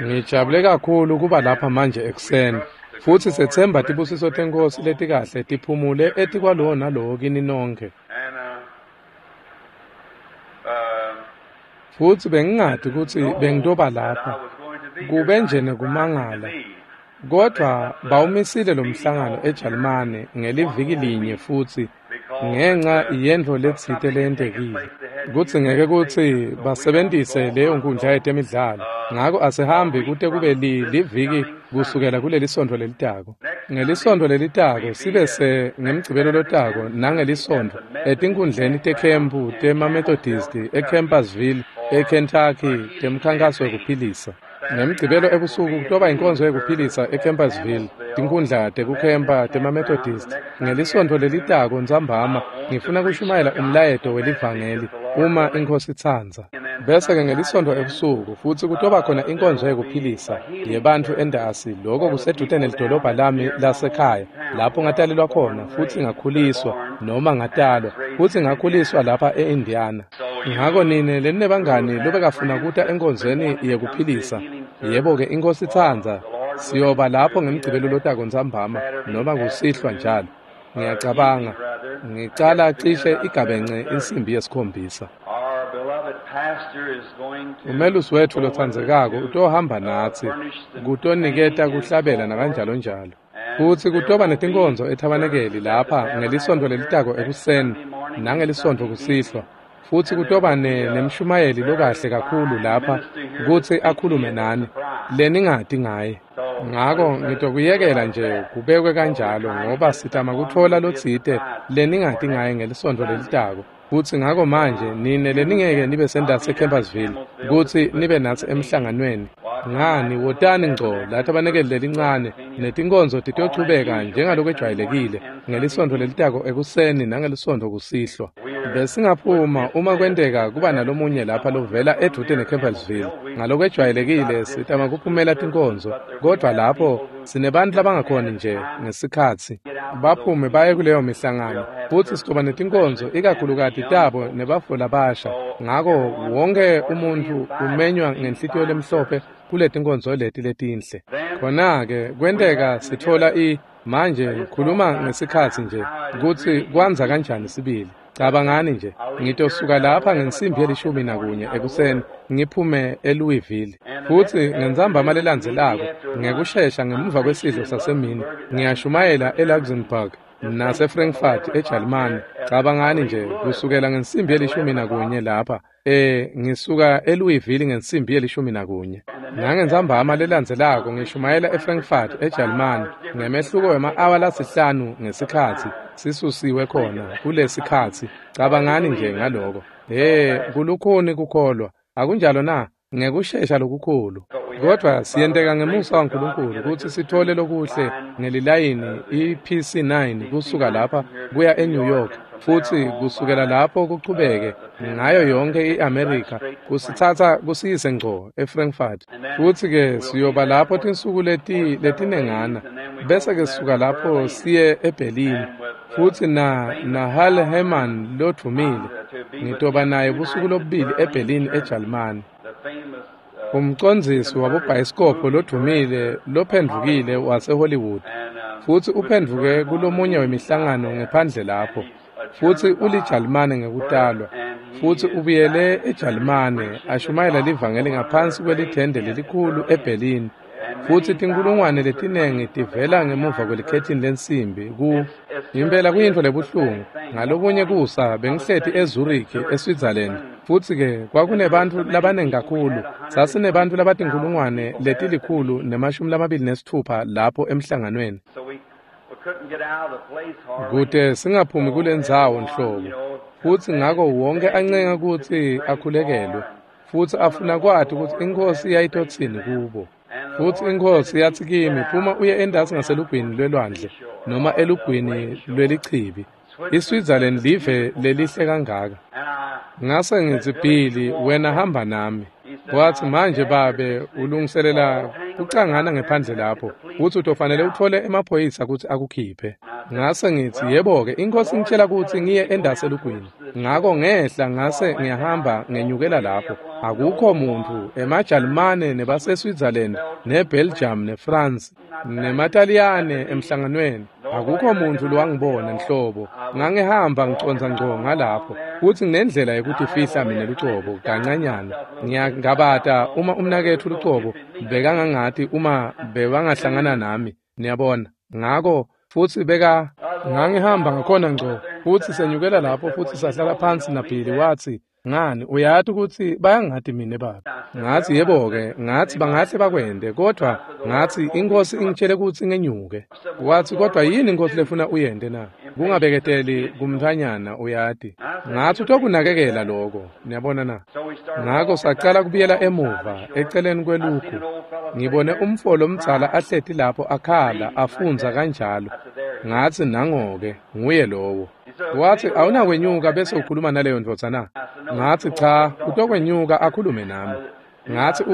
Ngijabule kakhulu kuba lapha manje ekuseni, futsi sethemba tibusiso teNkhosi letikahle tiphumule etikwalowo nalowo kini nonkhe. Futsi bengingati kutsi bengitoba lapha, kube nje nekumangala. Kodvwa bawumisile lo mhlangano eJalimane ngeliviki linye futsi ngenca yentfo letsite leyentekile. Kudzingeke kutsi basebentise leyo nkundla yetemidlalo. Ngako asihambi kute kube liviki kusukela kuleli sontfo lelitako. Ngelisontfo lelitako sibe se ngemgcibelo lotako nangelisontfo etinkundleni tekhempu temaMethodist eCampersville eKentucky temkhankaso wekuphilisa. Ngemgcibelo ebusuku kutoba inkonzo yekuphilisa eCampersville, tinkundla tekukhempa temaMethodist. Ngelisontfo lelitako ntsambama ngifuna kushumayela umlayeto welivangeli uma iNkhosi itsandza. Bese-ke ngelisontfo ebusuku futsi kutoba khona inkonzo yekuphilisa yebantfu entasi, loko kusedvute nelidolobha lami lasekhaya lapho ngatalelwa khona futsi ngakhuliswa noma ngatalwa futsi ngakhuliswa lapha e-Indiana. Ngako nine leninebangani lobekafuna kuta enkonzweni yekuphilisa, yebo-ke iNkhosi itsandza, siyoba lapho ngemgcibelo lotako ntsambama noma kusihlwa njalo. Ngiyacabanga ngicala cishe igabence insimbi yesikhombisa. Umelusi wetfu lotsandzekako utohamba natsi kutoniketa kuhlabela nakanjalonjalo. Futsi kutoba netinkonzo ethabanekeli lapha ngelisontfo lelitako ekuseni nangelisontfo kusihlwa. Futsi kutoba nemshumayeli lokahle kakhulu lapha kutsi akhulume nani leningati ngaye. Ngako ngitokuyekela nje kubekwe kanjalo ngoba sitama kutfola lotsite leningati ngaye ngelisontfo lelitako. Futsi ngako manje nine leningeke nibe sentasi eCampersville kutsi nibe natsi emhlanganweni. Ngani wotani ngco lathabanekeli lelincane netinkonzo titochubeka njengalokwejwayelekile ngelisontfo lelitako ekuseni nangelisontfo kusihlwa. Besingaphuma uma kwenteka kuba nalomunye lapha lovela edvute neCampersville. Ngalokwejwayelekile sitama kuphumela tinkonzo, kodvwa lapho sinebantfu labangakhoni nje ngesikhatsi baphume baye kuleyo mihlangano. Futsi sitoba netinkonzo ikakhulukati tabo nebafo labasha. Ngako wonke umuntfu umenywa ngenhlitiyo lemhlophe kuletinkonzo leti letinhle. Khona-ke kwenteka sitfola manje khuluma ngesikhatsi nje kutsi kwandza kanjani sibili. Cabangani nje, ngitosuka lapha ngensimbi ye-11 ekuseni ngiphume eLouisville. Futsi ngentsambama lelandzelako ngekushesha ngemuva kwesidlo sasemini ngiyashumayela eLuxembourg naseFrankfurt eJalimane. Cabangani nje kusukela ngensimbi ye-11 lapha ngisuka eLouisville ngensimbi ye-11. Nangentsambama lelandzelako ngishumayela eFrankfurt eJalimane ngemehluko wema-awa lasihlanu ngesikhatsi sisusiwe khona kulesikhatsi. Cabangani nje ngaloko. Kulukhuni kukholwa, akunjalo na? Ngekushesha lokukhulu. Kodvwa siyenteka ngemusa waNkulunkulu kutsi sitfole lokuhle ngelilayini iPC9 kusuka lapha kuya eNew York, futsi kusukela lapho kuchubeke ngayo yonke iAmerica kusitsatsa kusiyise ngco eFrankfurt. Futsi-ke siyoba lapho tinsuku letinengana, bese-ke sisuka lapho siye eBerlin. Futsi na Hal Herman lodvumile ngitoba naye busuku lobubili eBerlin eJalimane. Umcondzisi wabobhayisikobho lodvumile lophendvukile waseHollywood, futsi uphendvuke kulomunye wemihlangano ngephandle lapho. Futsi uliJalimane ngekutalwa, futsi ubuyele eJalimane ashumayela livangeli ngaphansi kwelithende lelikhulu eBerlin. Futsi tinkulungwane letinengi tivela ngemuva kwelikhethini lensimbi ku impela kuyintfo lebuhlungu. Ngalokunye kusa bengihleti eZurich eSwitzerland, futsi-ke kwakunebantfu labanengi kakhulu. Sasinebantfu labatinkulungwane 126 lapho emhlanganweni. Kute singaphumi kulendzawo nhlobo. Futsi ngako wonke ancenga kutsi akhulekelwe, futsi afuna kwati kutsi iNkhosi yayitotsini kubo. Futsi iNkhosi yatsi kimi, phuma uye entasi ngaselugwini lwelwandle noma elugwini lwelichibi. ISwitzerland live lelihle kangaka. Ngase ngitsi, Billy, wena hamba nami. Watsi, manje babe ulungiselela kucangana ngephandle lapho, futsi utofanele utfole emaphoyisa kutsi akukhiphe. Ngase ngitsi, yebo-ke, iNkhosi ingitjela kutsi ngiye entasi elugwini. Ngako ngehla ngase ngiyahamba ngenyukela lapho. Akukho muntu emaJalimane nebaseSwitzerland neBelgium neFrance nemaTaliyane emhlanganweni. Akukho muntu lowangibona nhlobo. Ngangihamba ngicondza ngco ngalapho futsi nginendlela yekutifihla mina lucobo kancanyana. Ngiyangabata uma umnaketfu lucobo bekangangati uma bebangahlangana nami, niyabona. Ngako futsi beka ngangihamba ngakhona ngco futsi senyukela lapho futsi sahlala phansi naBilly. Watsi, "Ngani, uyati kutsi bayangati mine baba?" Ngatsi, "Yebo-ke," ngatsi, "bangahle bakwente, kodvwa ngatsi iNkhosi ingitjele kutsi ngenyuke." Watsi, "Kodvwa yini iNkhosi lefuna uyente na? Kungabeketeli kumntfwanyana, uyati." Ngatsi, "Utokunakekela loko." Niyabona na? Ngako sacala kubuyela emuva eceleni kwelugu. Ngibone umfo lomdzala ahleti lapho akhala afundza kanjalo. Ngatsi, "Nango-ke, nguye lowo." Watsi, "Awunakwenyuka bese ukhuluma naleyo ndvodza na?" Ngatsi, "Cha, utokwenyuka akhulume nami." Ngatsi,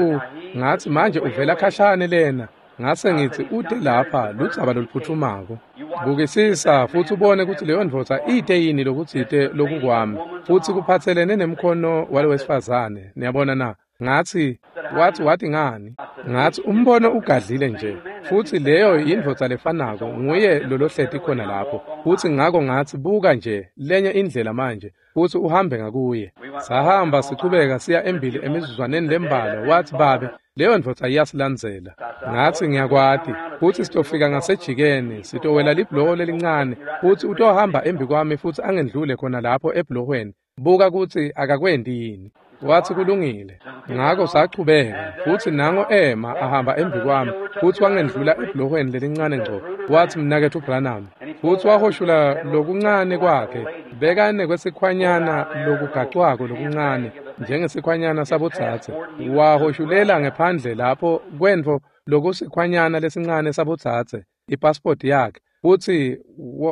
ngatsi manje uvela khashane lena. Ngase ngitsi, "Ute lapha ludzaba loluphutfumako. Bukisisa futsi ubone kutsi leyo ndvodza ite yini lokutsite lokukwami futsi kuphatselene nemkhono walowesifazane." Niyabona na? Ngatsi, watsi, "Wati ngani?" Ngatsi, "Umbono ugadlile nje futsi leyo yindvodza lefanako, nguye lolohleti khona lapho." Futsi ngako ngatsi, "Buka nje lenye indlela manje futsi uhambe ngakuye." Sahamba sichubeka siya embili emizuzwaneni lembalwa. Watsi, "Babe, leyo ndvodza iyasilandzela." Ngatsi, "Ngiyakwati futsi sitofika ngasejikeni, sitowela libhuloho lelincane futsi utohamba embi kwami futsi angendlule khona lapho ebhulohweni. Buka kutsi akakwenti yini." Watsi, "Kulungile." Ngako sachubeka futsi nango ema ahamba embi kwami futsi wangendlula ebhulohweni lelincane ngco. Watsi, "Mnaketfu Branham," futsi wahoshula lokuncane kwakhe, bekane kwesikhwanyana lokugacwako lokuncane njengesikhwanyana sabodzadze. Wahoshulela ngephandle lapho kwentfo lokusikhwanyana lesincane sabodzadze, ipasipoti yakhe, futsi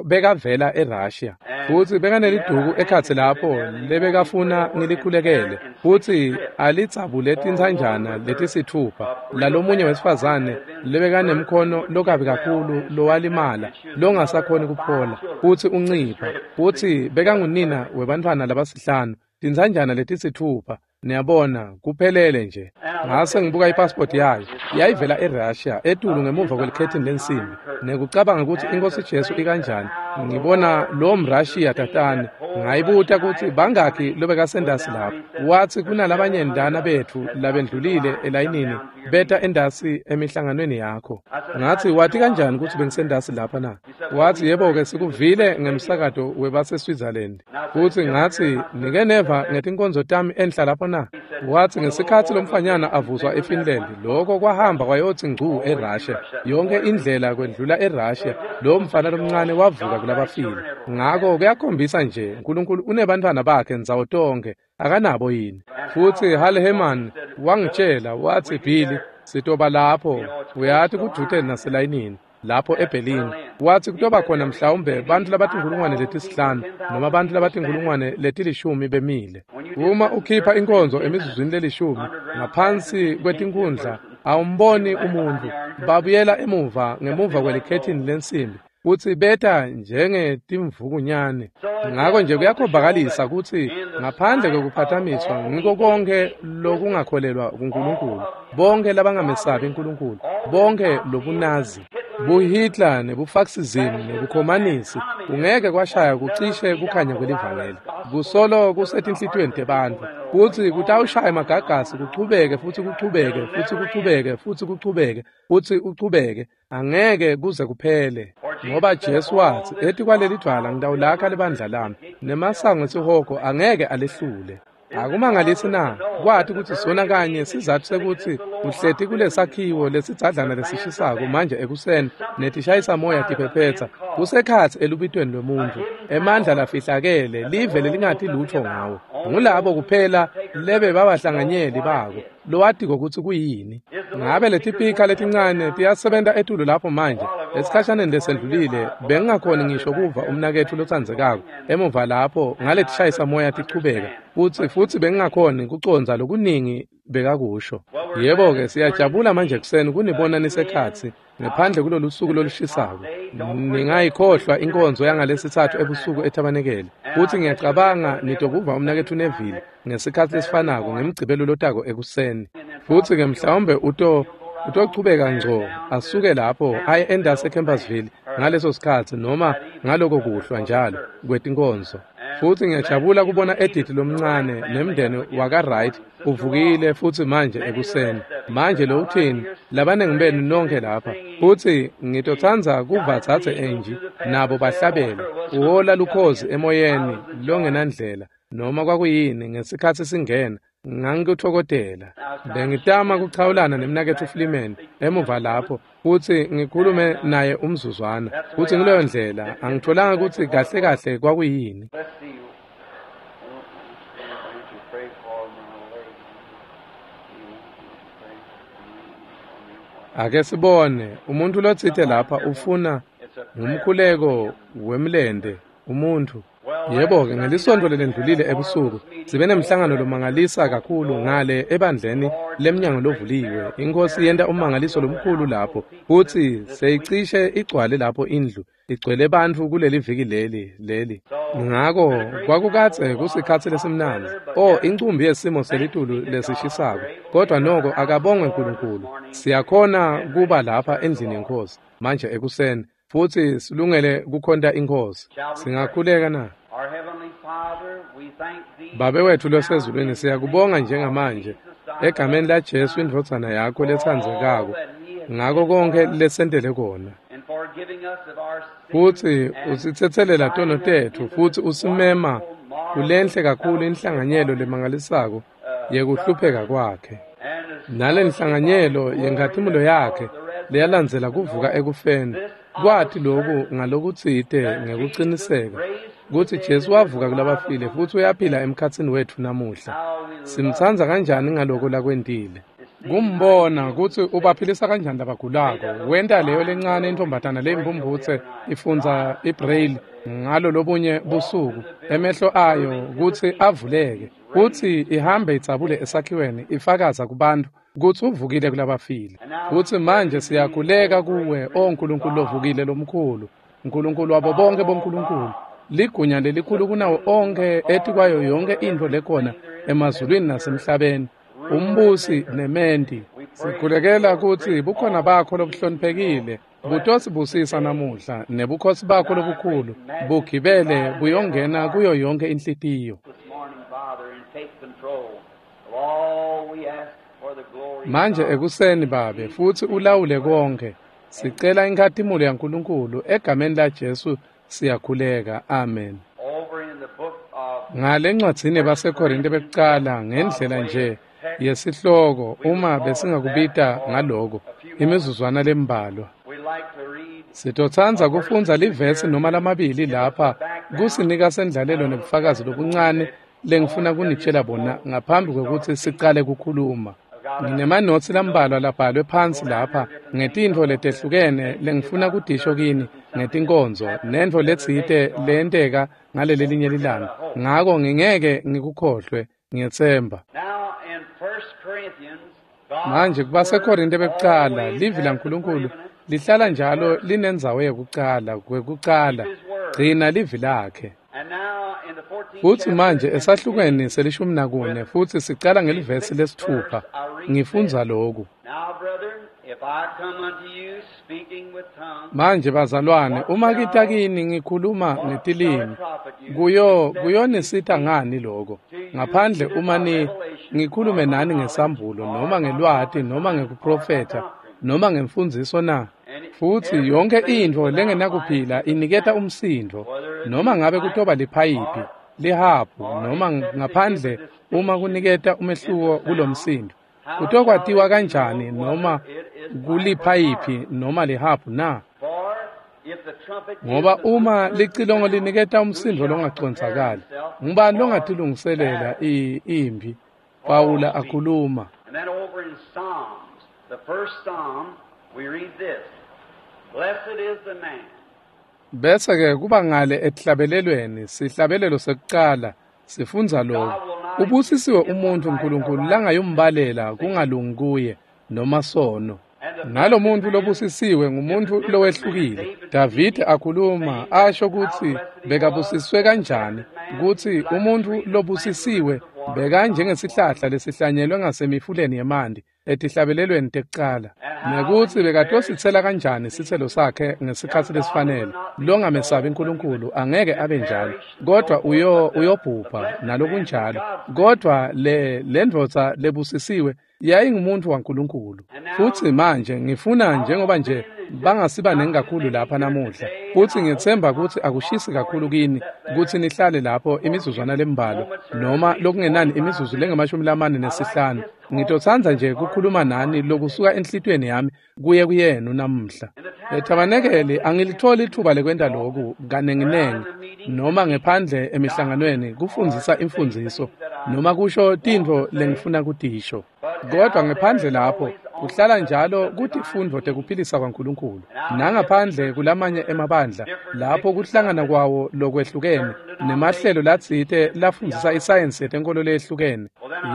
bekavela eRussia. Futsi bekaneliduku ekhatsi lapho lebekafuna ngilikhulekele futsi alidzabule tintsanjana letisithupha lalomunye wesifazane lebekanemkhono lokabi kakhulu lowalimala longasakhoni kuphola futsi uncipha, futsi bekangunina webantfwana labasihlanu, tintsanjana letisithupha. Niyabona, kuphelele nje. Ngase ngibuka ipasipoti yayo, yayivela eRussia etulu ngemuva kwelikhethini lensimbi, nekucabanga kutsi iNkhosi Jesu ikanjani. Ngibona lo mRussia tatane. Ngayibuta kutsi bangakhi lobekasendasi lapho. Watsi, "Kunalabanye ndana betfu labendlulile elayinini beta endasi emihlanganweni yakho." Ngatsi, "Wati kanjani kutsi bengisendasi lapha na?" Watsi, "Yebo-ke, sikuvile ngemsakato webaseSwitzerland." Futsi ngatsi, "Nike neva ngetinkonzo tami enhla lapho na?" Watsi, "Ngesikhatsi lomfanyana avuswa eFinland, lokho kwahamba kwayotsi ngcu eRussia. Yonke indlela kwendlula eRussia, lo mfana lomncane wavuka kulabafile." Ngako kuyakhombisa nje, uNkulunkulu unebantfwana bakhe ndzawo tonkhe, akanabo yini? Futsi Hal Herman wangitjela, watsi, "Billy, sitoba lapho, uyati kudute naselayinini lapho eBerlin." Watsi, "Kutoba khona mhlawumbe bantfu labatinkhulungwane 5 noma bantfu labatinkhulungwane 10 bemile. Uma ukhipha inkonzo emizuzwini lelishumi ngaphansi kwetinkhundla awumboni umuntfu. Babuyela emuva ngemuva kwelikhethini lensimbi futsi beta njengetimvukunyane." Ngako nje kuyakhombakalisa kutsi ngaphandle kwekuphathamiswa ngiko konke lokungakholelwa kuNkulunkulu, bonke labangamesabi uNkulunkulu, bonke lobunazi, buHitler nebufaxism nebukhomanisi kungeke kwashaya kucishe kukhanya kwelivangeli. Kusolo kusetinhlitiyweni tebantfu futsi kutawushaya emagagasi kuchubeke futhi kuchubeke futhi kuchubeke futhi kuchubeke futhi uchubeke, angeke kuze kuphele. Ngoba Jesu watsi, "Etikwaleli dvwala ngitawulakha libandla lami, nemasango esihogo angeke alehlule." Akumangalisi na kwati kutsi sona kanye sizatfu sekutsi uhleti kulesakhiwo lesidzadlana lesishisako manje ekuseni netishayisa moya tiphephetsa kusekhatsi elubitweni lwemuntfu, emandla lafihlakele live lelingati lutfo ngawo. Ngulabo kuphela lebe babahlanganyeli bako lowatiko kutsi kuyini. Ngabe letipika letincane tiyasebenta etulu lapho manje? Esikhashaneni lesendlulile bengingakhoni ngisho kuva umnaketfu lotsandzekako emuva lapho ngaletishayisa moya tichubeka, futsi bengingakhoni kucondza lokuningi bekakusho. Yebo-ke, siyajabula manje ekuseni kunibona nisekhatsi ngephandle kulolu suku lolushisako. Ningayikhohlwa inkonzo yangalesithathu ebusuku ethabanekele. Futsi ngiyacabanga nitokuva umnaketfu Neville ngesikhatsi lesifanako ngemgcibelo lotako ekuseni. Futsi-ke mhlawumbe utochubeka ngco asuke lapho aye endase eCampersville ngaleso sikhatsi noma ngaloko kuhlwa njalo kwetinkonzo. Futsi ngiyajabula kubona Edith lomncane nemndeni wakaWright uvukile futsi manje ekuseni. Manje lo uthini labanengi benu nonke lapha. Futsi ngitotsandza kuva dzadze Angie nabo bahlabela uhola lukhozi emoyeni longenandlela noma kwakuyini ngesikhatsi singena. Ngangikutfokotela. Bengitama kuchawulana nemnaketfu Fleeman emuva lapho futsi ngikhulume naye umzuzwana. Futsi nguleyo ndlela angitfolanga kutsi kahle kahle kwakuyini. Ake sibone umuntu lotsite lapha ufuna ngumkhuleko wemlente umuntu. Yebo-ke, ngelisonto lelendlulile ebusuku sibe nemhlangano lomangalisa kakhulu ngale ebandleni lemnyango lovuliwe. Inkosi yenta ummangaliso lomkhulu lapho futsi seyicishe igcwale lapho indlu igcwele bantfu kuleli viki leli. Ngako kwakukadze kusikhatsi lesimnandzi. Incumbi yesimo selitulu lesishisako, kodwa noko akabongwe Nkulunkulu. Siyakhona kuba lapha endlini yeNkhosi manje ekuseni futsi silungele kukhonta iNkhosi. Singakhuleka na? Babe wetfu losezulwini, siyakubonga njengamanje egameni laJesu indvodzana yakho letsandzekako ngako konke lesentele kona. Futsi usitsetselela tono tetfu futsi usimema kulenhle kakhulu inhlanganyelo lemangalisako yekuhlupheka kwakhe. Nale nhlanganyelo yenkhatimulo yakhe leyalandzela kuvuka ekufeni. Kwati loku ngalokutsite ngekuciniseka kutsi Jesu wavuka kulabafile futsi uyaphila emkhatsini wetfu namuhla. Simtsandza kanjani ngaloko lakwentile. Kumbona kutsi ubaphilisa kanjani labagulako. Wenta leyo lencane intombatana leyimphumphutse ifundza ibraille ngalo lobunye busuku emehlo ayo kutsi avuleke kutsi ihambe idzabule esakhiweni ifakaza kubantu kutsi uvukile kulabafile. Futsi manje siyakhuleka kuwe, o Nkulunkulu lovukile lomkhulu, Nkulunkulu wabo bonke bonkulunkulu, ligunya lelikhulu kunawo onke etikwayo yonke intfo lekhona emazulwini nasemhlabeni, umbusi nementi. Sikhulekela kutsi bukhona bakho lobuhloniphekile butosibusisa namuhla nebukhosi bakho lobukhulu bugibele buyongena kuyo yonke inhlitiyo. Manje ekuseni Babe futsi ulawule konke. Sicela inkhatimulo yaNkulunkulu egameni laJesu siyakhuleka. Amen. Ngale ncwadzini baseKorinte bekucala ngendlela nje yesihloko uma besingakubita ngaloko imizuzwana lembalwa. Sitotsandza kufundza livesi noma lamabili lapha kusinika sendlalelo nebufakazi lobuncane lengifuna kunitshela bona ngaphambi kwekutsi sicale kukhuluma. Nginemanotsi lambalwa labhalwe phansi lapha ngetintfo letehlukene lengifuna kudisho kini ngetinkonzo nentfo letsite leyenteka ngaleli linye lilanga. Ngako ngingeke ngikukhohlwe, ngiyetsemba. Manje kubaseKorinte bekucala livi laNkulunkulu lihlala njalo linendzawo yekucala kwekucala. Gcina livi lakhe. Futsi manje esahlukweni se-14 futsi sicala ngelivesi lesithupha. Ngifundza loku. Manje bazalwane, uma kita kini ngikhuluma ngetilimi, kuyonisita ngani loko? Ngaphandle uma ngikhulume nani ngesambulo noma ngelwati noma ngekuprofetha noma ngemfundziso na? Futsi yonke intfo lengenakuphila iniketa umsindvo, noma ngabe kutoba liphayiphi, lihabhu noma ngaphandle uma kuniketa umehluko kulomsindo. Kutokwatiwa kanjani noma kuliphayiphi noma lihabhu na? Ngoba uma licilongo liniketa umsindvo longacondzakali, ngubani longatilungiselela imphi? Pawula akhuluma. Bese-ke kuba ngale etihlabelelweni, sihlabelelo sekucala, sifundza lokhu. Ubusisiwe umuntfu Nkulunkulu langayumbalela kungalungi kuye noma sono. Nalomuntfu lobusisiwe ngumuntfu lowehlukile. Davide akhuluma asho kutsi bekabusiswe kanjani, kutsi umuntfu lobusisiwe bekanjengesihlahla lesihlanyelwe ngasemifuleni yemanti etihlabelelweni tekucala, nekutsi bekatositsela kanjani sitselo sakhe ngesikhatsi lesifanele. Longamesabi Nkulunkulu angeke abe njalo, kodwa uyobhubha nalokunjalo. Kodwa le ndvodza lebusisiwe yayingumuntu waNkulunkulu. Futsi manje ngifuna, njengoba nje bangasibanengi kakhulu lapha namuhla, futsi ngiyetsemba kutsi akushisi kakhulu kini kutsi nihlale lapho imizuzwana lembalwa, noma lokungenani imizuzu lengu-45. Ngitotsandza nje kukhuluma nani lokusuka enhlitiyweni yami kuye kuyenu namuhla. Ethabanekeli angilitholi ithuba lekwenta loku kanenginengi, noma ngephandle emihlanganweni kufundzisa imfundziso noma kusho tintfo lengifuna kutisho. Kodwa ngephandle lapho kuhlala njalo kutifundvo tekuphilisa kwaNkulunkulu, nangaphandle kulamanye emabandla lapho kuhlangana kwawo lokwehlukene nemahlelo latsite lafundzisa isayensi yetenkolo leyehlukene.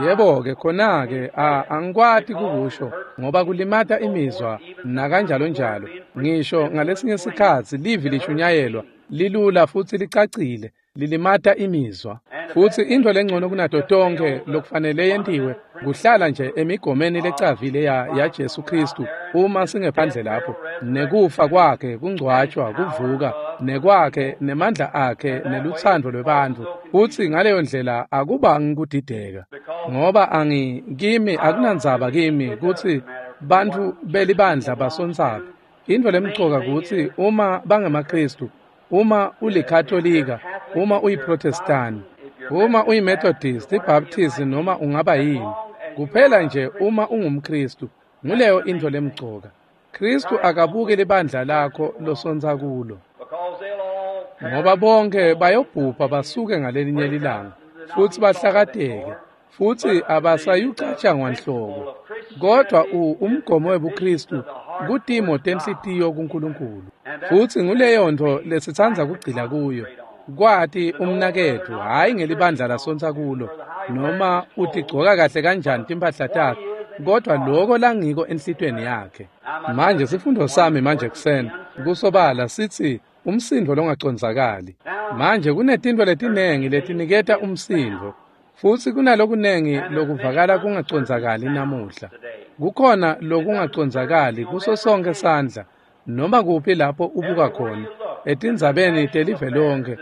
Yebo-ke khona-ke angikwati kukusho ngoba kulimata imizwa nakanjalo njalo. Ngisho ngalesinye sikhatsi livi lishunyayelwa lilula futsi licacile, lilimata imizwa. Futsi intfo lengcono kunato tonkhe lokufanele yentiwe kuhlala nje emigomeni lecavile ya Jesu Kristu uma singephandle lapho, nekufa kwakhe, kungcwatshwa, kuvuka nekwakhe, nemandla akhe, nelutsandvo lwebantfu. Futsi ngaleyo ndlela akubangi kudideka, ngoba kimi akunandzaba kimi kutsi bantfu belibandla basontsaphi. Intfo lemcoka kutsi uma bangemaKristu, uma ulikatolika, uma uyiprotestani, uma uyimethodist, ibaptist, noma ungaba yini, kuphela nje uma ungumKristu, nguleyo intfo lemcoka. Kristu akabuki libandla lakho losontsa kulo, ngoba bonke bayobhubha basuke ngalelinye lilanga futsi bahlakateke, futsi abasayucatshangwa nhlobo. Kodwa umgomo webuKristu kutimo tenhlitiyo kuNkulunkulu, futsi nguleyo ntfo lesitsandza kugcila kuyo, kwati umnaketfu, hhayi ngelibandla lasontsa kulo noma utigcoka kahle kanjani timphahla takhe, kodwa loko langiko enhlitiyweni yakhe. Manje sifundo sami manje kuseni kusobala sithi umsindvo longacondzakali. Manje kunetintfo letinengi letiniketa umsindvo, futsi kunalokunengi lokuvakala kungacondzakali namuhla. Kukhona lokungacondzakali kuso sonke sandla, noma kuphi lapho ubuka khona etindzabeni telive lonke,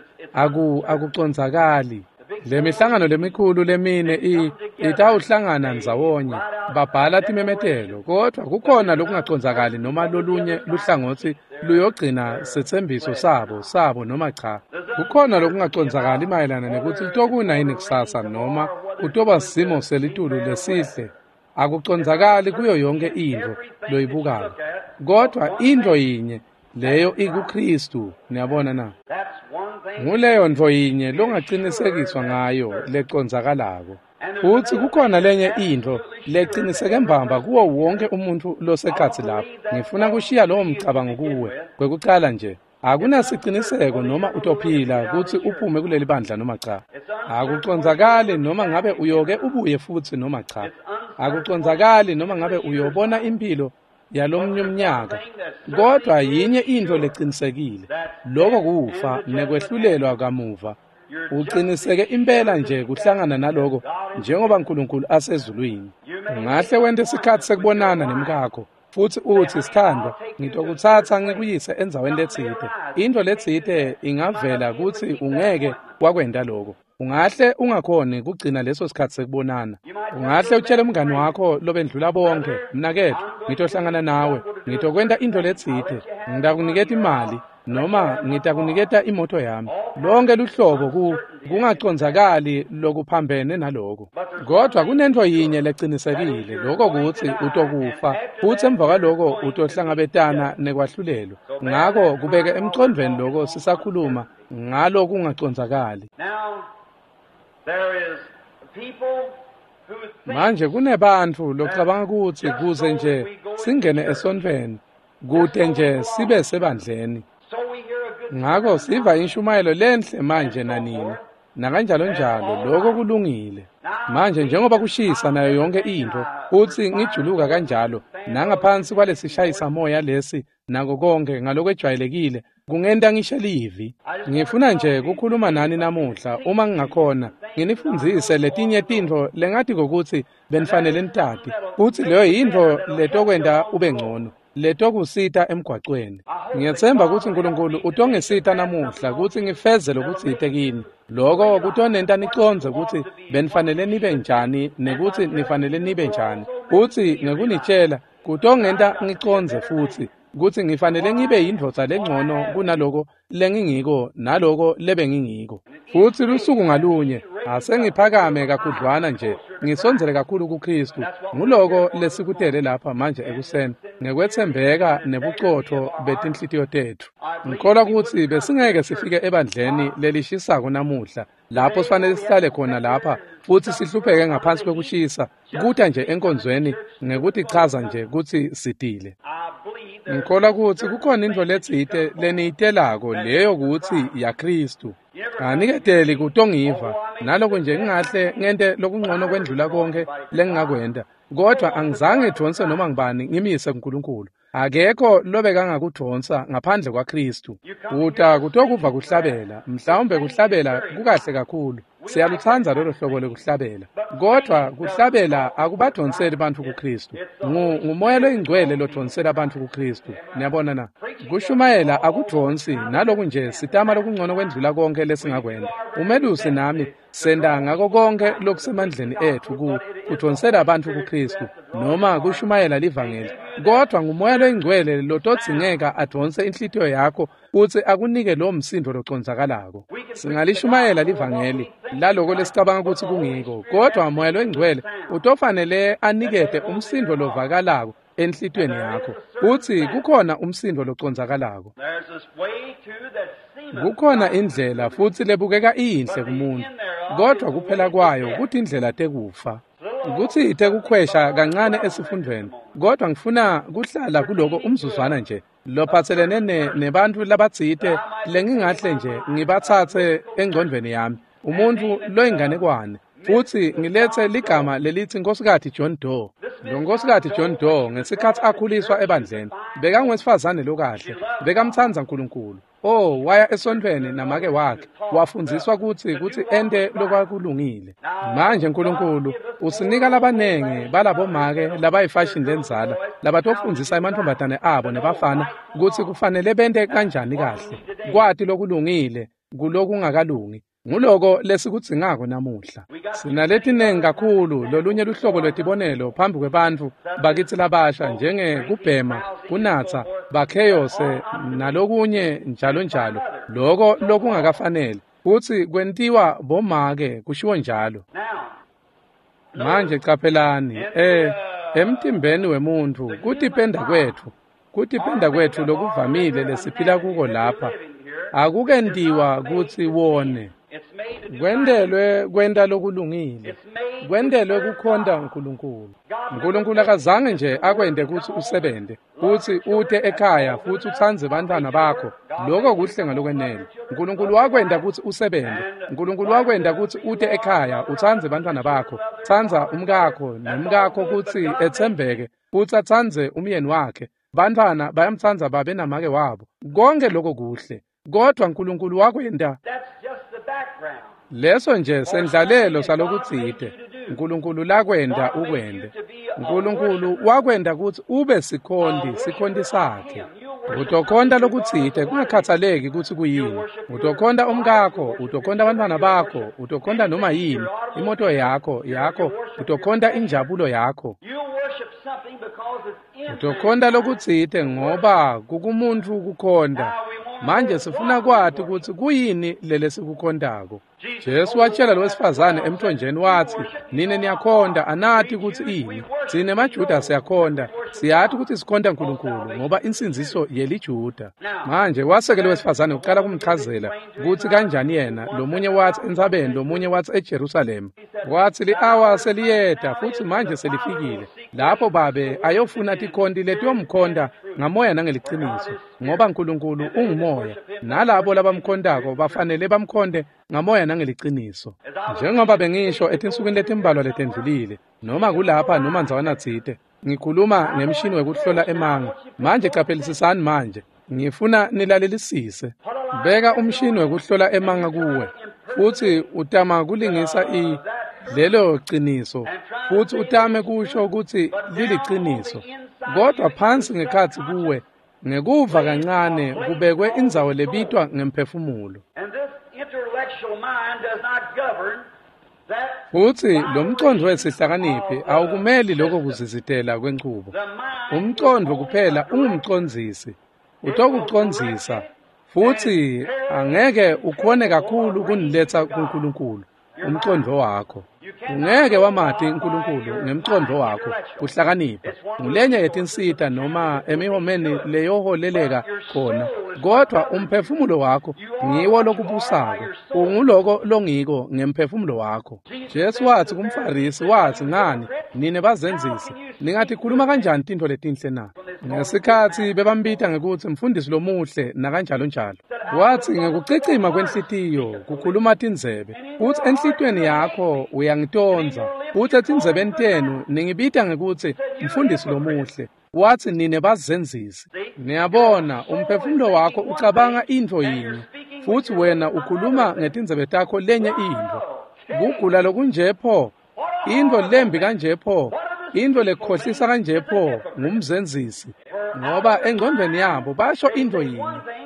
akucondzakali. Le mihlangano lemikhulu lemine itawuhlangana ndzawonye, babhala timemetelo, kodwa kukhona lokungacondzakali noma lolunye luhlangotsi luyogcina setsembiso sabo noma cha. Kukhona lokungacondzakali mayelana nekutsi litokuna yini kusasa noma kutoba simo selitulu lesihle. Akucondzakali kuyo yonke intfo loyibukako, kodwa intfo yinye leyo ikuKristu. Niyabona na? Nguleyo ntfo yinye longacinisekiswa ngayo lecondzakalako. Futsi kukhona lenye intfo leciniseke mbamba kuwo wonke umuntfu losekhatsi lapho. Ngifuna kushiya lowo mcabango kuwe kwekucala nje. Akunasiciniseko noma utophila kutsi uphume kuleli bandla noma cha. Akucondzakali noma ngabe uyoke ubuye futsi noma cha. Akucondzakali noma ngabe uyobona impilo yalomnye umnyaka. Kodwa yinye intfo lecinisekile, loko kufa nekwehlulelwa kamuva. Uqiniseke impela nje kuhlangana naloko njengoba uNkulunkulu asezulwini. Ungahle wente isikhatsi sekubonana nemkakho futsi utsi, sithandwa, ngitokutsatsa ngikuyise endzaweni letsite. Intfo letsite ingavela kutsi ungeke wakwenta loko. Ungahle ungakhoni kugcina leso sikhatsi sekubonana. Ungahle utshele umngani wakho lobendlula bonke, mnaketfu, ngitohlangana nawe, ngitokwenta intfo letsite, ngitakuniketa imali noma ngitakuniketa imoto yami. Lonke luhlobo kungacondzakali lokuphambene naloko. Kodwa kunentfo yinye lecinisekile, lokho kutsi utokufa, futsi emva kwaloko utohlangabetana nekwahlulelwa. Ngako kubeke emcondvweni loko sisakhuluma ngalo kungacondzakali. Manje kunebantfu locabanga kutsi kuze nje singene esontfweni, kute nje sibe sebandleni. Ngako siva inshumayelo lenhle manje nanini. Nakanjalonjalo, lokho kulungile. Manje njengoba kushisa nayo yonke intfo, futsi ngijuluka kanjalo, nangaphansi kwalesishayisa moya lesi nako konke ngalokwejwayelekile, kungenta ngisho livi. Ngifuna nje kukhuluma nani namuhla uma ngingakhona, nginifundzise letinye tintfo lengati kokuthi benifanele nitati, futsi leyo yintfo letokwenta ube ngcono, letokusita emgwacweni. Ngiyetsemba kutsi Nkulunkulu utongisita namuhla kutsi ngifeze lokutsite kini. Lokho kutonenta nicondze kutsi benifanele nibe njani nekutsi nifanele nibe njani. Futsi ngekunitshela kutongenta ngicondze futsi kutsi ngifanele ngibe yindvodza lengcono kunaloko lengingiko naloko lebengingiko. Futsi lusuku ngalunye asengiphakame kakhudlwana nje, ngisondzele kakhulu kuKhristu. Nguloko lesikutele lapha manje ekuseni, ngekwetsembeka nebucotfo betinhlitiyo tetfu. Ngikholwa kutsi besingeke sifike ebandleni lelishisako namuhla, lapho sifanele sihlale khona lapha futsi sihlupheke ngaphansi kwekushisa, kuta nje enkonzweni ngekutichaza nje kutsi sitile. Ngikholwa kutsi kukhona intfo letsite leniyitelako leyo kutsi yaKhristu. Aniketeli kutongiva, naloko nje ngingahle ngente lokungcono kwendlula konke lengingakwenta, kodwa angizange ngidvonse noma ngibani ngimise kuNkulunkulu. Akekho lobekangakudvonsa ngaphandle kwaKhristu. Uta kutokuva kuhlabela, mhlawumbe kuhlabela kukahle kakhulu. Siyalutsandza lolo hlobo lokuhlabela, kodwa kuhlabela akubadvonseli bantfu kuKhristu. Ngumoya loyingcwele lodvonsela bantfu kuKhristu. Niyabona na? Kushumayela akudvonsi, naloku nje sitama lokungcono kwendlula konke lesingakwenta. Umelusi nami senta ngako konke lokusemandleni etfu kudvonsela bantfu kuKhristu noma kushumayela livangeli. Kodwa ngumoya loyingcwele lotodzingeka advonse inhlitiyo yakho kutsi akunike lo msindo locondzakalako. Singalishumayela livangeli laloko lesicabanga kutsi kungiko, kodwa moya loyingcwele utofanele anikete umsindo lovakalako enhlitiyweni yakho kutsi kukhona umsindo locondzakalako. Kukhona indlela futsi lebukeka iyinhle kumuntu, kodwa kuphela kwayo kutindlela tekufa. Kutsi tekukhwesha kancane esifundweni, kodwa ngifuna kuhlala kuloko umzuzwana nje lophatselene nebantfu labatsite lengingahle nje ngibatsatse engcondvweni yami, umuntfu loyinganekwane, futsi ngiletse ligama lelitsi Nkosikazi John Doe. Lo Nkosikazi John Doe ngesikhatsi akhuliswa ebandleni, bekangowesifazane lokahle, bekamtsandza Nkulunkulu. Oh, waya esontfweni namake wakhe, wafundziswa kutsi ente lokwakulungile. Manje Nkulunkulu usinika labanengi balabomake labayifashini lendzala labatofundzisa emantfombatane abo nebafana kutsi kufanele bente kanjani kahle, kwati lokulungile kulokungakalungi. Nguloko lesikudzingako namuhla. Sinaletinengi kakhulu lolunye luhlobo lwetibonelo phambi kwebantfu bakitsi labasha, njengekubhema, kunatsa, bakheyose nalokunye njalo njalo, loko lokungakafanele futsi kwentiwa bomake, kushiwo njalo. Manje caphelani, emtimbeni wemuntfu kutipenda kwetfu lokuvamile lesiphila kuko lapha akukentiwa kutsi wone. Kwentelwe kwenta lokulungile, kwentelwe kukhonta Nkulunkulu. Nkulunkulu akazange nje akwente kutsi usebente, kutsi ute ekhaya futsi utsandze bantfwana bakho. Lokho kuhle ngalokwenele. Nkulunkulu wakwenta kutsi usebente. Nkulunkulu wakwenta kutsi ute ekhaya utsandze bantfwana bakho, tsandza umkakho nemkakho kutsi etsembeke, futsi atsandze umyeni wakhe. Bantfwana bayamtsandza babe namake wabo. Konke lokho kuhle, kodwa Nkulunkulu wakwenta. Leso nje sendlalelo salokutsite Nkulunkulu lakwenta ukwente. Nkulunkulu wakwenta kutsi ube sikhonti sakhe. Utokhonta lokutsite kungakhathaleki kutsi kuyini. Utokhonta umkakho, utokhonta abantwana bakho, utokhonta noma yini, imoto yakho, utokhonta injabulo yakho. Utokhonta lokutsite ngoba kukumuntu kukhonta. Manje sifuna kwati kutsi kuyini lelesikukhondako. Jesu watshela lowesifazane emthonjeni watsi, nine niyakhonta, anati kutsi ini. Tsine maJuda siyakhonta, siyati kutsi sikhonta Nkulunkulu ngoba insindziso yeliJuda. Manje waseke lowesifazane uqala kumchazela kutsi kanjani yena, lomunye watsi entsabeni, lomunye watsi eJerusalema. Watsi li-awa seliyeta futsi manje selifikile, lapho babe ayofuna tikhonti letiyomkhonta ngamoya nangeliciniso. ngoba Nkulunkulu ungumoya, nalabo labamkhontako bafanele bamkhonte ngamoya nangeliciniso. Njengoba bengisho etinsukwini letimbalwa letendlulile, noma kulapha noma ndzawana tsite, ngikhuluma ngemshini wekuhlola emanga. Manje caphelisisani manje, ngifuna nilalelisise. Beka umshini wekuhlola emanga kuwe, futsi utama kulingisa lelo ciniso, futsi utame kusho kutsi liliciniso, kodwa phansi ngekhatsi kuwe ngekuva kancane kubekwe indzawo lebitwa ngemphefumulo. Futsi lo mcondvo wesihlakaniphi awukumeli lokho kuzizitela kwenchubo. Umcondvo kuphela ungumcondzisi, utokucondzisa, futsi angeke ukhone kakhulu kuniletsa kuNkulunkulu. Umcondvo wakho ungeke wamati uNkulunkulu ngemcondvo wakho. Kuhlakanipha ngulenye yetinsita noma emihomeni leyoholeleka khona, kodwa umphefumulo wakho ngiwo lokubusako. Unguloko longiko ngemphefumulo wakho. Jesu wathi kumFarisi, wathi, ngani nine bazenzisi, ningatikhuluma kanjani tintfo letinhle na? Ngesikhatsi bebambita ngekutsi mfundisi lomuhle nakanjalo njalo, wathi ngekucicima kwenhlitiyo kukhuluma tindzebe, utsi enhlitiyweni yakho uyangitondza, utsi etindzebeni tenu ningibita ngekutsi mfundisi lomuhle, wathi nine bazenzisi. Niyabona, umphefumulo wakho ucabanga intfo yinye, futsi wena ukhuluma ngetindzebe takho lenye intfo. Kugula lokunje pho, intfo lembi kanje pho, intfo lekhohlisa kanje pho, ngumzenzisi. Ngoba engcondvweni yabo basho intfo yinye,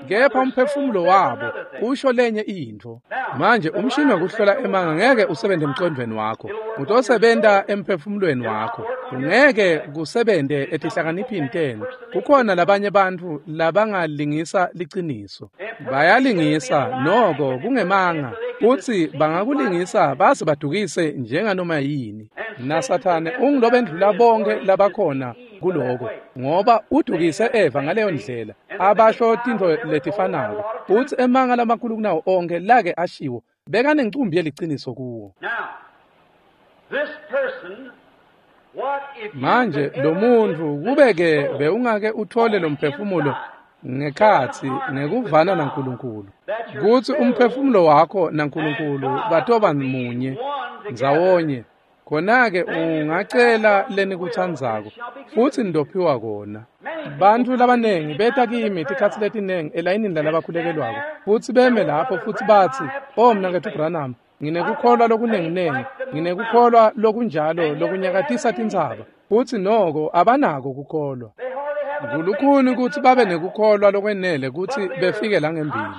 kepha umphefumulo wabo usho lenye intfo. Manje umshini wekuhlola emanga ngeke usebente emcondvweni wakho, utosebenta emphefumulweni wakho. Ungeke kusebente etihlakaniphini tenu. Kukhona labanye bantfu labangalingisa liciniso, bayalingisa noko kungemanga, futsi bangakulingisa base badukise njenganoma yini. NaSathane ungulobendlula bonke labakhona kuloko, ngoba udukise Eva ngaleyo ndlela, abasho tintfo letifanako, futsi emanga lamakhulu kunawo onke lake ashiwo bekanencumbi yeliciniso kuwo. Manje lo muntfu kube-ke bewungake uthole lo mphefumulo ngekhatsi ngekuvana naNkulunkulu, kutsi umphefumulo wakho naNkulunkulu batoba munye ndzawonye, khona-ke ungacela lenikutsandzako futsi nitophiwa kona. Bantfu labanengi beta kimi tikhatsi letinengi elayinini lalabakhulekelwako, futsi beme lapho futsi batsi, "Oh mnaketfu Branham, nginekukholwa lokunenginengi, nginekukholwa lokunjalo lokunyakatisa tintsaba," futsi noko abanako kukholwa. Kulukhuni kutsi babe nekukholwa lokwenele kutsi befike langembili,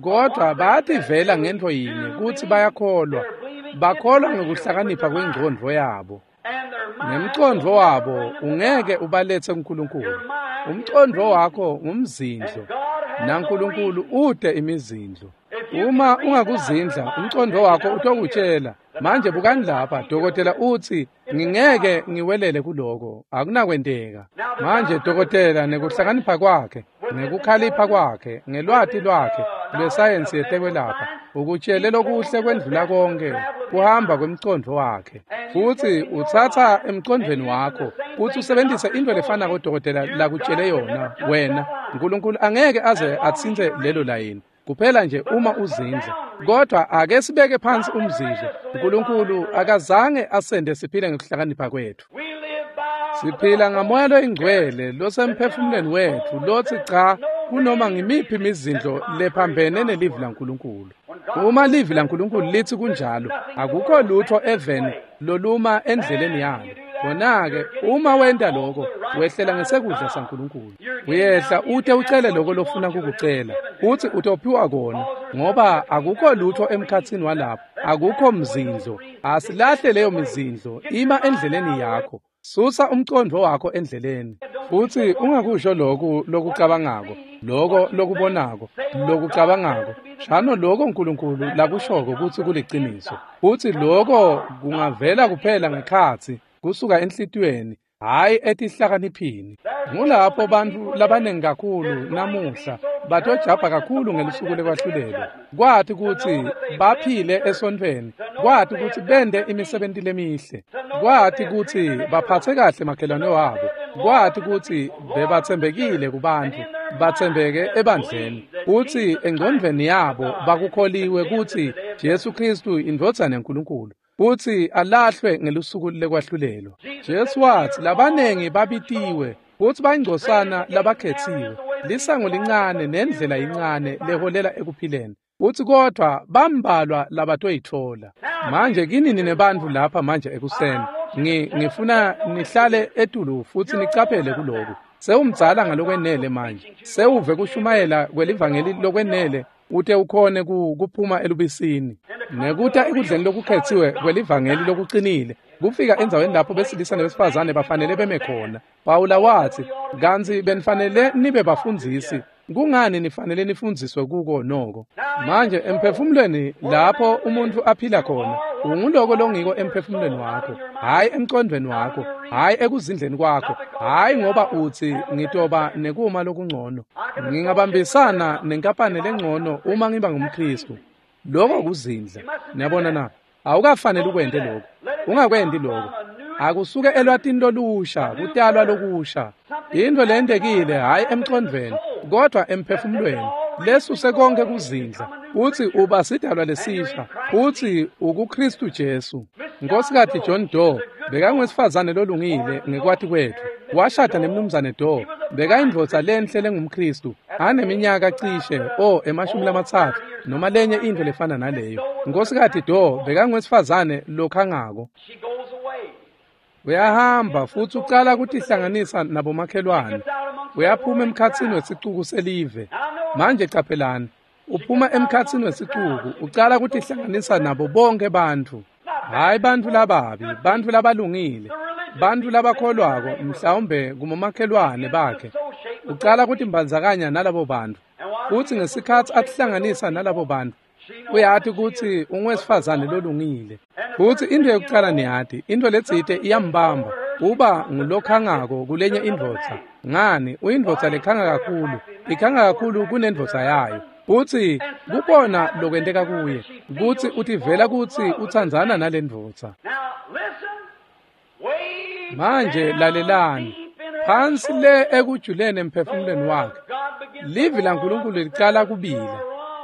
kodwa bayativela ngentfo yinye kutsi bayakholwa. Bakholwa ngekuhlakanipha kwengcondvo yabo. Ngemcondvo wabo ungeke ubaletse kuNkulunkulu. Umcondvo wakho ngumzindlo, naNkulunkulu ute imizindlo. Uma ungakuzindla, umcondvo wakho utokutshela, manje bukani lapha, dokotela utsi ngingeke ngiwelele kuloko, akunakwenteka. Manje dokotela nekuhlakanipha kwakhe, ngekukhalipha kwakhe, ngelwati lwakhe lwesayensi yetekwelapha, ukutshele lokuhle kwendlula konke kuhamba kwemcondvo wakhe. Futsi utsatsa emcondvweni wakho futsi usebentise intfo lefanako dokotela lakutshele yona wena. Nkulunkulu angeke aze atsintse lelo layini, kuphela nje uma uzindla. Kodwa ake sibeke phansi umzindlo. Nkulunkulu akazange asende siphile ngekuhlakanipha kwethu. Siphila ngamoya loyingcwele losemphefumulweni wetfu lotsi cha kunoma ngimiphi imizindlo lephambene nelivi laNkulunkulu. Uma livi laNkulunkulu litsi kunjalo, akukho lutho eveni loluma endleleni yalo. Khona-ke uma wenta lokho, wehlela ngesekudla saNkulunkulu. Uyehla ute ucele lokho lofuna kukucela, utsi utophiwa kona, ngoba akukho lutho emkhatsini walapho, akukho mzindlo. Asilahle leyo mizindlo, ima endleleni yakho. Susa umcondvo wakho endleleni, futsi ungakusho lokhu lokucabangako, lokho lokubonako, lokucabangako. Shano lokho uNkulunkulu lakushoko kutsi kuliciniso, futsi lokho kungavela kuphela ngekhatsi kusuka enhlitiyweni, hhayi etihlakaniphini. Ngulapho bantfu labanengi kakhulu namuhla batojabha kakhulu ngelusuku lekwahlulelwa, kwati kutsi baphile esontfweni, kwati kutsi bente imisebenti lemihle, kwati kutsi baphatse kahle makhelwane wabo, Kwathi kutsi bebatsembekile kubantfu, batsembeke ebandleni, kutsi engcondvweni yabo bakukholiwe kutsi Jesu Kristu indvodzana yaNkulunkulu, kutsi alahlwe ngelusuku lekwahlulelwa. Jesu watsi labanengi babitiwe futsi bayingcosana labakhetsiwe. Lisango lincane nendlela incane leholela ekuphileni, utsi kodvwa bambalwa labatoyitfola. Manje kinini nebantfu lapha manje ekuseni, ngifuna nihlale etulu futsi nicaphele kuloku. Sewumdzala ngalokwenele manje, sewuve kushumayela kwelivangeli lokwenele ute ukhone kuphuma elubisini nekuta ekudleni lokukhetsiwe kwelivangeli lokuqinile, kufika endzaweni lapho besilisa nebesifazane bafanele beme khona. Pawula watsi, kantsi benifanele nibe bafundzisi, kungani nifanele nifundziswe kuko noko? Manje emphefumulweni lapho umuntu aphila khona, unguloko longiko emphefumulweni wakho, hhayi emcondvweni wakho, hhayi ekuzindleni kwakho, hhayi ngoba utsi ngitoba nekuma lokungcono, ngingabambisana nenkampani lengcono uma ngiba ngumKristu. Lokho kuzindla. Niyabona na? Awukafanele ukwente lokho. Ungakwenti lokho. Akusuke elwatini lolusha, kutalwa lokusha. Into lentekile hhayi emcondvweni, kodwa emphefumulweni. Lesuse konke kuzindla. Uthi uba sidalwa lesisha, uthi ukuKristu Jesu. Nkosikati John Doe bekangwesifazane lolungile ngekwati kwethu. Washada nemnumzane Doe. Bekayindvodza lenhle lengumKristu, aneminyaka cishe 30 noma lenye into lefana naleyo. Nkosikati Doe bekangwesifazane lokhangako. Uyahamba futsi ucala kutihlanganisa nabomakhelwane. Uyaphuma emkhatsini wesicuku selive. Manje caphelani, uphuma emkhatsini wesicuku, ucala kutihlanganisa nabo bonke bantfu. Hhayi bantfu lababi, bantfu labalungile, bantfu labakholwako, mhlawumbe kubomakhelwane bakhe. Ucala kutimbandzakanya nalabo bantfu. Futsi ngesikhatsi atihlanganisa nalabo bantfu, uyati kutsi ungwesifazane lolungile. Futsi into yokucala niyati, into letsite iyambamba, uba ngulokhangako kulenye indvodza. Ngani, uyindvodza lekhanga kakhulu, ikhanga kakhulu kunendvodza yayo. Futsi kubona lokwenteka kuye, kutsi utivela kutsi utsandzana nalendvodza. Manje lalelani, phansi le ekujuleni emphefumulweni wakhe, livi laNkulunkulu licala kubila,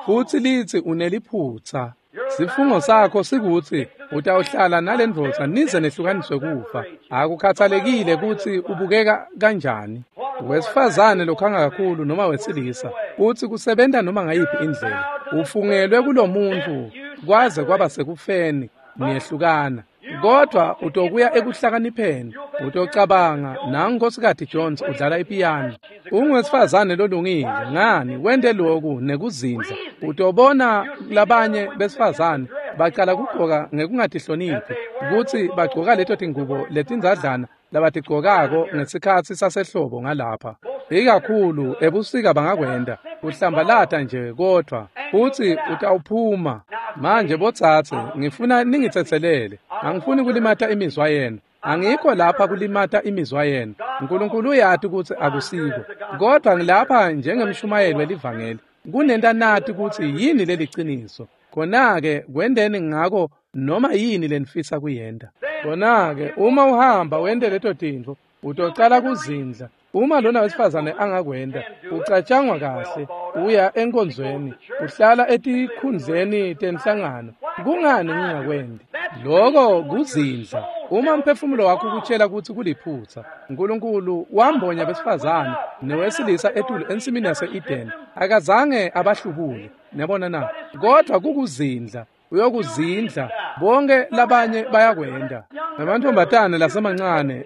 futsi litsi uneliphutsa. Sifungo sakho sikutsi utawuhlala nalendvodza nize nehlukaniswe kufa. Akukhathalekile kutsi ubukeka kanjani, wesifazane lokhanga kakhulu noma wesilisa, utsi kusebenta noma ngayiphi indlela, ufungelwe kulomuntu kwaze kwaba sekufeni, niyehlukana. Kodwa utokuya ekuhlakanipheni, utocabanga nangu Nkosikati Jones udlala ipiyano, ungwesifazane lolungile, ngani wente loku nekuzindla. Utobona labanye besifazane bacala kugcoka ngekungatihloniphi, kutsi bagcoka leto tingubo letindzadlana labatigcokako ngesikhatsi sasehlobo ngalapha. Ikakhulu ebusika bangakwenta, uhlambalata nje kodvwa futsi utawuphuma. Manje botsatse, ngifuna ningitsetselele, angifuni kulimata imizwa yenu. Angikho lapha kulimata imizwa yenu. uNkulunkulu uyati kutsi akusiko, kodwa ngilapha njengemshumayeli welivangeli kunenta nati kutsi yini leliciniso. Khona-ke kwenteni ngako noma yini lenifisa kuyenta. Khona-ke uma uhamba wente leto tintfo, utocala kuzindla. Uma lona wesifazane angakwenta, ucatshangwa kahle, uya enkonzweni, uhlala etikhundleni tenhlangano. Kungani ngingakwendi? Lokho kuzindla. Uma umphefumulo wakho ukutshela kutsi kuliphutsa, uNkulunkulu wambonya besifazane newesilisa etulu ensimini yase-Eden, akazange abahlubule. Niyabona na? Kodwa kukuzindla. Uyokuzindla. Bonke labanye bayakwenta. Namantombazane lasemancane,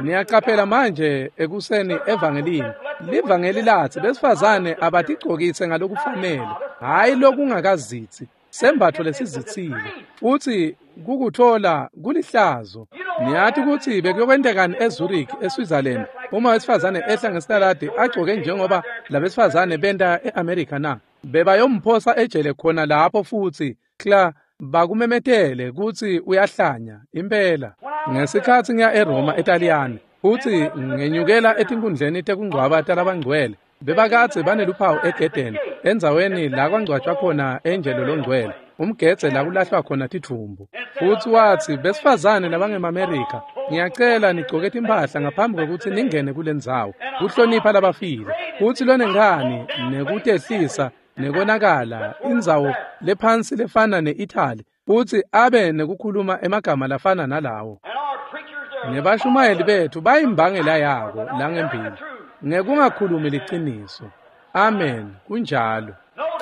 niyaqaphela manje ekuseni evangelini. Livangeli lathi besifazane abatigcokise ngalokufanele, hhayi lokungakazitsi, sembatfo lesizitsile, futsi kukuthola kulihlazo. Niyati kutsi bekuyokwentekani eZurich, eSwitzerland, uma wesifazane ehla ngesitaladi agcoke njengoba labesifazane benta e-America na? Bebayomphosa ejele khona lapho futsi kla bakumemetele kutsi uyahlanya impela. Ngesikhatsi ngiya eRoma eTaliyane, futsi ngenyukela etinkundleni tekungcwaba talabangcwele, bebakadze baneluphawu egedeni endzaweni la kwangcwatjwa khona Angelo longcwele. umgedze la kulahlwa khona tidvumbu. Futsi watsi, besifazane labangemaMerika, ngiyacela nigcoke timphahla ngaphambi kwekutsi ningene kulendzawo, kuhlonipha labafile. Futsi lonenkhani nekutehlisa nekonakala, indzawo lephansi lefana ne-Italy, futsi abe nekukhuluma emagama lafana nalawo. Nebashumayeli bethu bayimbangela yako langembili, ngekungakhulumi liciniso. Amen, kunjalo.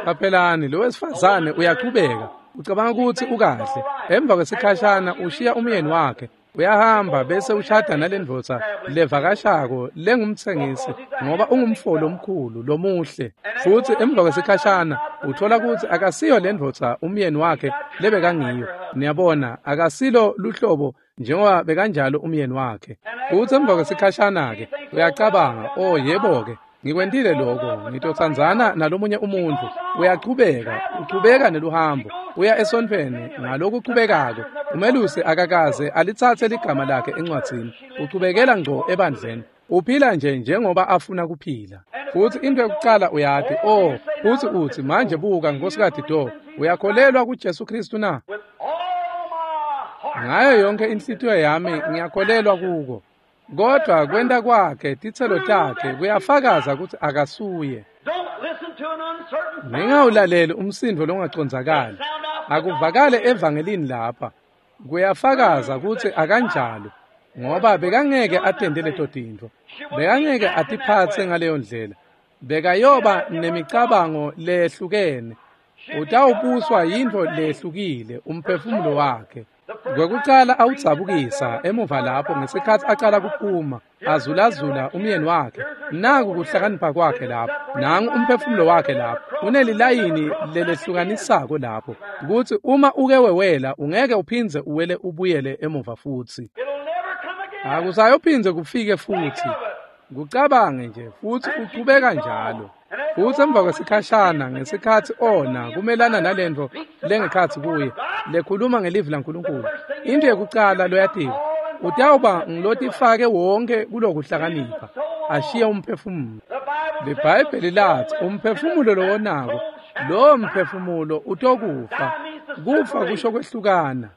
Qaphelani, lo wesifazane uyachubeka, ucabanga kutsi ukahle. Emva kwesikhashana ushiya umyeni wakhe, uyahamba bese ushada nalendvodza levakashako lengumtsengisi, ngoba ungumfo lomkhulu lomuhle. Futsi emva kwesikhashana uthola kutsi akasiyo lendvodza umyeni wakhe lebekangiyo. Niyabona, akasilo luhlobo njengoba bekanjalo umyeni wakhe. Futsi emva kwesikhashana-ke uyacabanga, oh yebo-ke, ngikwentile lokho, ngitotsandzana nalomunye umuntfu. Uyachubeka, uchubeka neluhambo, uya esontfweni ngalokuchubekako. Umelusi akakaze alitsatse ligama lakhe encwadzini, uchubekela ngco ebandleni. Uphila nje njengoba afuna kuphila. Futsi into yokucala uyati, oh, futsi utsi, manje buka Nkosikazi Do, uyakholelwa kuJesu Kristu na? Ngayo yonke inhlitiyo yami ngiyakholelwa kuko. Kodwa kwenta kwakhe, titselo takhe kuyafakaza kutsi akasuye. Ningawulaleli umsindo longacondzakali. Akuvakale evangelini lapha. Kuyafakaza kutsi akanjalo, ngoba bekangeke atente leto tintfo. Bekangeke atiphatse ngaleyo ndlela. Bekayoba nemicabango lehlukene. Utawubuswa yintfo lehlukile umphefumulo wakhe. Kwekucala awudzabukisa emuva lapho ngesikhatsi acala kuphuma azulazula umyeni wakhe. Naku kuhlakanipha kwakhe lapho, nangu umphefumulo wakhe lapho, unelilayini lelehlukanisako lapho, kutsi uma uke wewela ungeke uphindze uwele ubuyele emuva futsi. Akusayophindze kufike futsi. Kucabange nje futsi uchubeka njalo. Futsi emva kwesikhashana ngesikhatsi ona kumelana nalentfo lengekhatsi kuye lekhuluma ngelivi laNkulunkulu, into yekucala loyatiwa utawuba ngilotifake wonke kulokuhlakanipha, ashiye umphefumulo. LiBhayibheli lathi umphefumulo lowonako, lowo mphefumulo utokufa. Kufa kusho kwehlukana.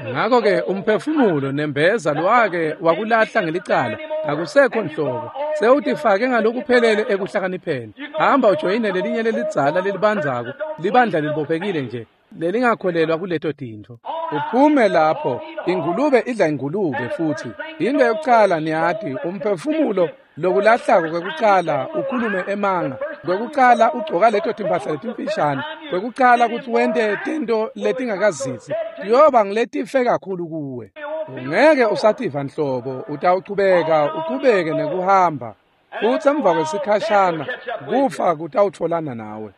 Ngakho-ke umphefumulo nembeza lwake wakulahla ngelicala akusekho nhlobo, sewutifake ngalokuphelele ekuhlakanipheni. Hamba ujoyine lelinye lelidzala lelibandzako, libandla lelibophekile nje lelingakholelwa kuleto tintfo. Uphume lapho, ingulube idla ingulube futsi. Into yokucala niyati, umphefumulo lokulahlako kwekucala ukhulume emanga, kwekucala ugcoka leto timphahla letimfishane, kwekucala kutsi wente tento letingakazitsi, tiyoba ngiletife kakhulu kuwe. Ungeke usativa nhlobo, utawuchubeka uchubeke nekuhamba. Futsi emva kwesikhashana kufa kutawutfolana nawe.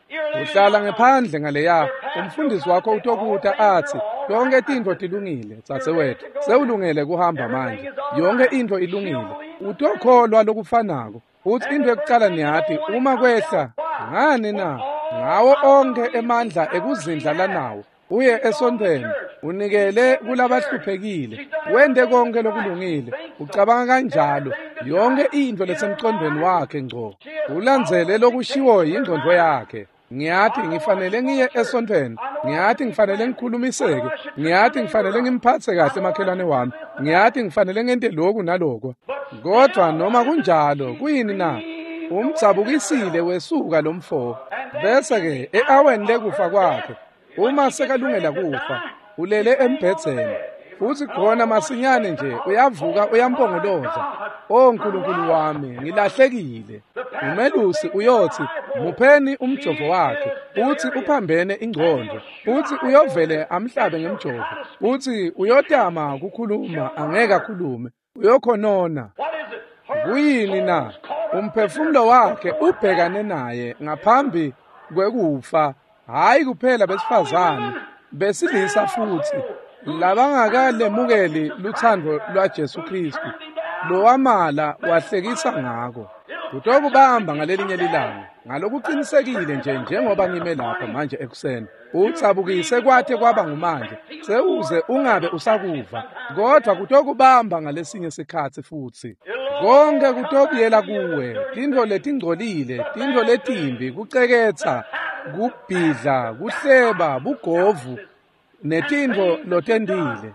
Uhlala ngephandle ngaleya, umfundisi wakho utokuta atsi, yonke tintfo tilungile, dzadzewethu, sewulungele kuhamba manje. Yonke intfo ilungile. Utokholwa lokufanako. Futsi into yokucala niyati, uma kwehla, ngani na? Ngawo onke emandla ekuzindla lanawo, uye esontfweni, unikele kulabahluphekile, wente konke lokulungile. Ucabanga kanjalo, yonke intfo lesemcondweni wakhe ngco. Ulandzele lokushiwo yingcondvo yakhe. Ngiyati ngifanele ngiye esontfweni, ngiyati ngifanele ngikhulumiseke, ngiyati ngifanele ngimphatse kahle makhelwane wami, ngiyati ngifanele ngente lokhu naloko. Kodwa noma kunjalo, kuyini na? Umdzabukisile wesuka lomfo. Bese-ke e-aweni lekufa kwakhe, uma sekalungela kufa, ulele embhedzeni. Futsi khona masinyane nje uyavuka uyampongoloza, "O Nkulunkulu wami, ngilahlekile." Umelusi uyotsi, mupheni umjovo wakhe, futsi uphambene ingcondvo, futsi uyovele amhlabe ngemjovo, futsi uyotama kukhuluma angeke akhulume, uyokhonona. Kuyini na? Umphefumulo wakhe ubhekane naye ngaphambi kwekufa, hhayi kuphela besifazane, besilisa futsi labangakalemukeli lutsandvo lwaJesu Kristu, lowamala wahlekisa ngako. Kutokubamba ngalelinye lilanga, ngalokuqinisekile nje njengoba ngime lapha manje ekuseni. Utsabukise kwathe kwaba ngumanje, sewuze ungabe usakuva, kodwa kutokubamba ngalesinye sikhatsi futsi. Konke kutobuyela kuwe, tintfo letingcolile, tintfo letimbi, kuceketsa, kubhidla, kuhleba, bugovu netintfo lotentile.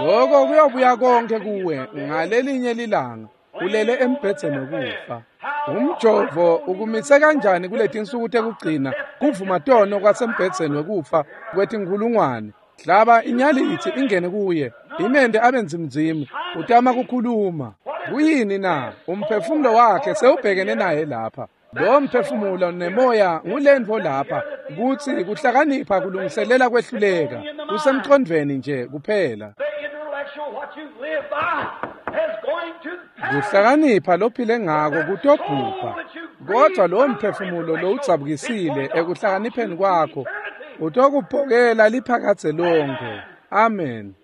Loko kuyobuya konke kuwe ngalelinye lilanga ulele embhedzeni wekufa. Umjovo ukumise kanjani kuletinsuku tekugcina kuvuma tono kwasembhedzeni wekufa kwetinkhulungwane. Hlaba inyalitsi ingene kuye, imende abe nzimnzimu, utama kukhuluma. Kuyini na? Umphefumulo wakhe sewubhekene naye lapha. Lo mphefumulo nemoya ngulentfo lapha, kutsi kuhlakanipha kulungiselela kwehluleka, kusemcondvweni nje kuphela. Kuhlakanipha lophile ngako kutobhubha, kodvwa lo mphefumulo lowudzabukisile ekuhlakanipheni kwakho utokuphokela liphakadze lonkhe. Amen.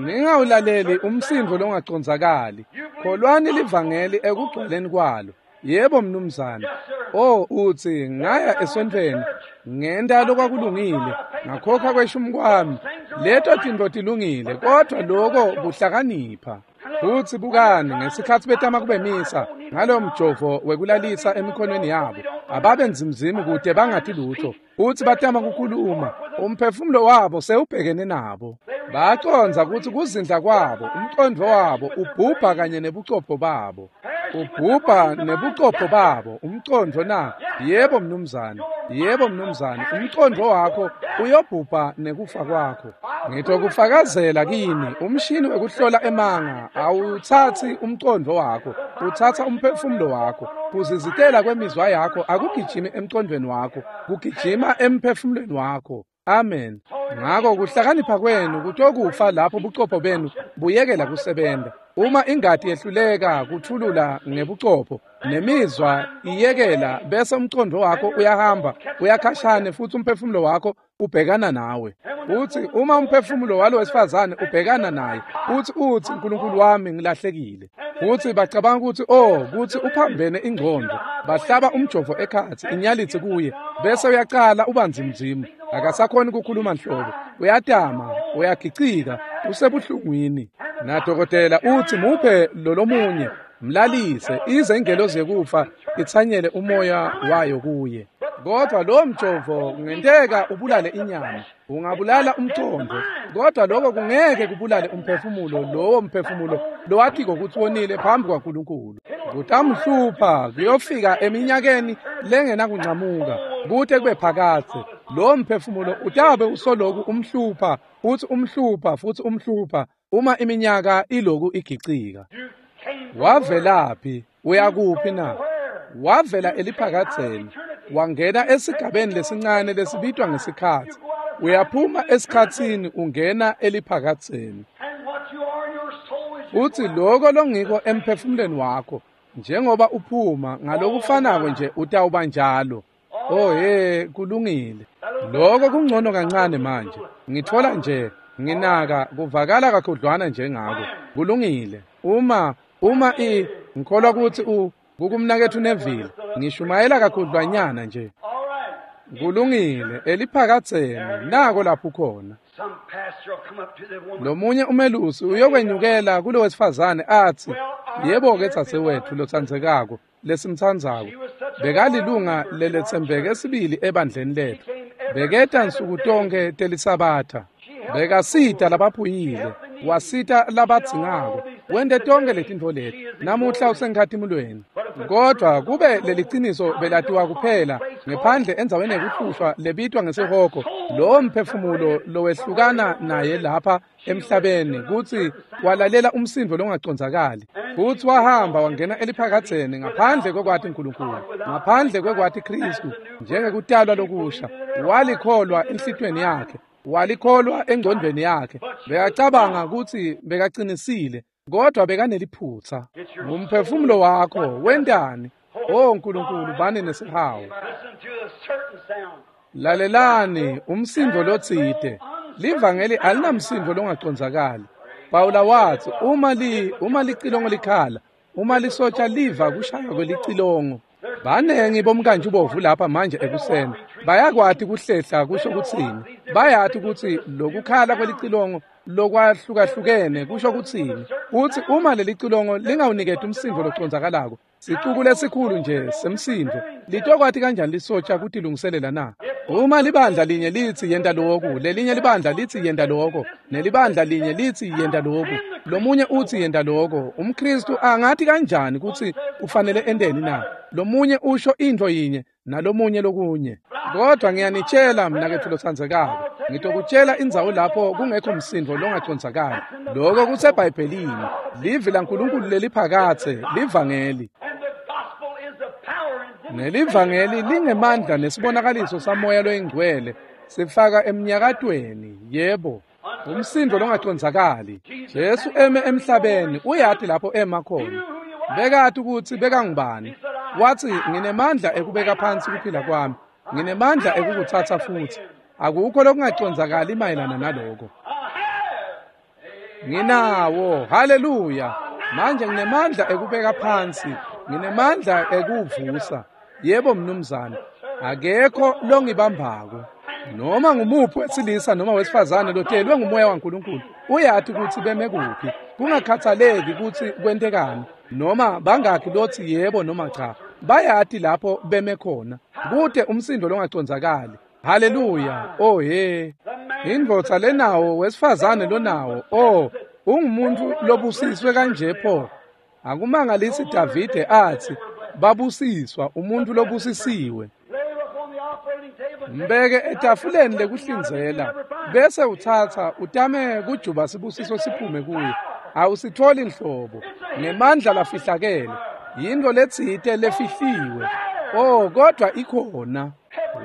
Ningawulaleli umsindvo longacondzakali. Kholwani livangeli ekugcwaleni kwalo. Yebo mnumzane. Oh, utsi ngaya esontfweni, ngenta lokwakulungile, ngakhokha kweshumi kwami. Leto tintfo tilungile, kodvwa loko kuhlakanipha. Futsi bukani, ngesikhatsi betama kubemisa ngalowo mjovo wekulalisa emikhonweni yabo, ababe nzimzimu kude bangati lutho. Futsi batama kukhuluma, umphefumulo wabo sewubhekene nabo. Bacondza kutsi kuzindla kwabo, umcondvo wabo ubhubha kanye nebucopho babo. Ubhubha nebucopho babo, umcondvo na? Yebo mnumzane, yebo mnumzane, umcondvo wakho uyobhubha nekufa kwakho. Ngitokufakazela kini, umshini wekuhlola emanga awutsatsi umcondvo wakho, utsatsa umphefumulo wakho. Kuzizitela kwemizwa yakho akugijimi emcondvweni wakho, kugijima emphefumulweni wakho. Amen. Ngako kuhlakanipha kwenu kutokufa lapho bucopho benu buyekela kusebenta. Uma ingati yehluleka kuthulula ngebucopho nemizwa iyekela, bese umcondvo wakho uyahamba uyakhashane futsi umphefumulo wakho ubhekana nawe. Futsi uma umphefumulo walo wesifazane ubhekana naye, futsi utsi Nkulunkulu wami ngilahlekile. Futsi bacabanga kutsi oh, kutsi uphambene ingcondvo. Bahlaba umjovo ekhatsi inyalitsi kuye, bese uyacala ubanzimzimu. Akasakhoni kukhuluma nhlobo, uyatama, uyagicika, usebuhlungwini. Nadokotela utsi muphe lolomunye, mlalise ize ingelozi yekufa itsanyele umoya wayo kuye. Kodwa lo mjovo kungenteka ubulale inyama, ungabulala umcondvo, kodwa lokho kungeke kubulale umphefumulo, lowo mphefumulo lowatiko kutsi wonile phambi kwaNkulunkulu. Kutamhlupha kuyofika eminyakeni lengenakuncamuka kute kube phakadze. Lo mphefumulo utabe usoloku umhlupha futsi umhlupha futsi umhlupha uma iminyaka iloku igicika. Wavelaphi? Uyakuphi na? Wavela eliphakadzeni, wangena esigabeni lesincane lesibitwa ngesikhatsi. Uyaphuma esikhatsini ungena eliphakadzeni. Futsi loko longiko emphefumulweni wakho, njengoba uphuma ngalokufanako nje utawuba njalo. Oh hey, kulungile. Loko kungcono kancane manje. Ngitfola nje nginaka kuvakala kakhudlwana njengako. Kulungile. Uma ngikholwa kutsi kukumnaketfu Neville, ngishumayela kakhudlwanyana nje. Kulungile, eliphakadzeni nako lapho khona. Lomunye umelusi uyokwenyukela kulo wesifazane atsi, yebo-ke dzadzewetfu lotsandzekako lesimtsandzako, bekalilunga leletsembeke sibili ebandleni letfu. Beketa nsuku tonkhe telisabatha. Bekasita labaphuyile, wasita labadzingako, wente tonkhe letintfo leti. Namuhla usenkhatimulweni. Kodvwa kube leliciniso belatiwa kuphela ngephandle endzaweni yekuhlushwa lebitwa ngesihogo, lowo mphefumulo lowehlukana naye lapha emhlabeni kutsi walalela umsindvo longacondzakali, futsi wahamba wangena eliphakadzeni ngaphandle kwekwati Nkulunkulu, ngaphandle kwekwati Khristu njengekutalwa lokusha. Walikholwa enhlitiyweni yakhe, walikholwa engcondvweni yakhe, bekacabanga kutsi bekacinisile, kodwa bekaneliphutsa. Ngumphefumulo wakho wentani? Oh Nkulunkulu, bani nesihawu. Lalelani umsindvo lotsite. Livangeli alinamsindvo longacondzakali. Pawula watsi uma licilongo likhala, uma lisotsha liva kushaywa kwelicilongo. Banengi bomkantshi bovu lapha manje ekuseni bayakwati kuhlehla kusho kutsini. Bayati kutsi lokukhala kwelicilongo lokwahlukahlukene kusho kutsini. Futsi uma lelicilongo lingawuniketi umsindvo locondzakalako, sicuku lesikhulu nje semsindvo, litokwati kanjani lisotsha kutilungiselela na? Uma libandla linye litsi yenta loku, lelinye libandla litsi yenta loko, nelibandla linye litsi yenta loku, lomunye utsi yenta loko, umKhristu angathi kanjani kutsi ufanele enteni na? Lomunye usho intfo yinye nalomunye lokunye. Kodwa ngiyanitshela mnaketfu lotsandzekako, ngitokutshela indzawo lapho kungekho msindvo longacondzakali. Loko kuseBhayibhelini, livi laNkulunkulu leliphakatse, livangeli. Nelivangeli lingemandla nesibonakaliso saMoya loyiNgcwele, sifaka emnyakatweni, yebo, umsindvo longacondzakali. Jesu eme emhlabeni, uyati lapho ema khona. Bekati kutsi bekangubani. Watsi, nginemandla ekubeka phansi kuphila kwami, nginemandla ekukutsatsa futsi. Akukho lokungacondzakali mayelana naloko. Nginawo, haleluya. Manje nginemandla ekubeka phansi, nginemandla ekuvusa. Yebo mnumzane, akekho longibambako. Noma ngumuphi wesilisa noma wesifazane lotelwe nguMoya waNkulunkulu, uyati kutsi beme kuphi, kungakhathaleki kutsi kwentekani, noma bangakhi lotsi yebo noma cha, bayati lapho beme khona. Kute umsindo longacondzakali. Haleluya. Oh he. Indvodza lenawo, wesifazane lonawo, oh, ungumuntu lobusiswe kanje pho. Akumangalisi Davide atsi, babusiswa umuntu lobusisiwe. Mbeke etafuleni lekuhlinzela, bese utsatsa utame kujuba sibusiso siphume kuye. Awusitholi nhlobo, ngemandla lafihlakele, yintfo letsite lefihliwe. Oh, kodwa ikhona.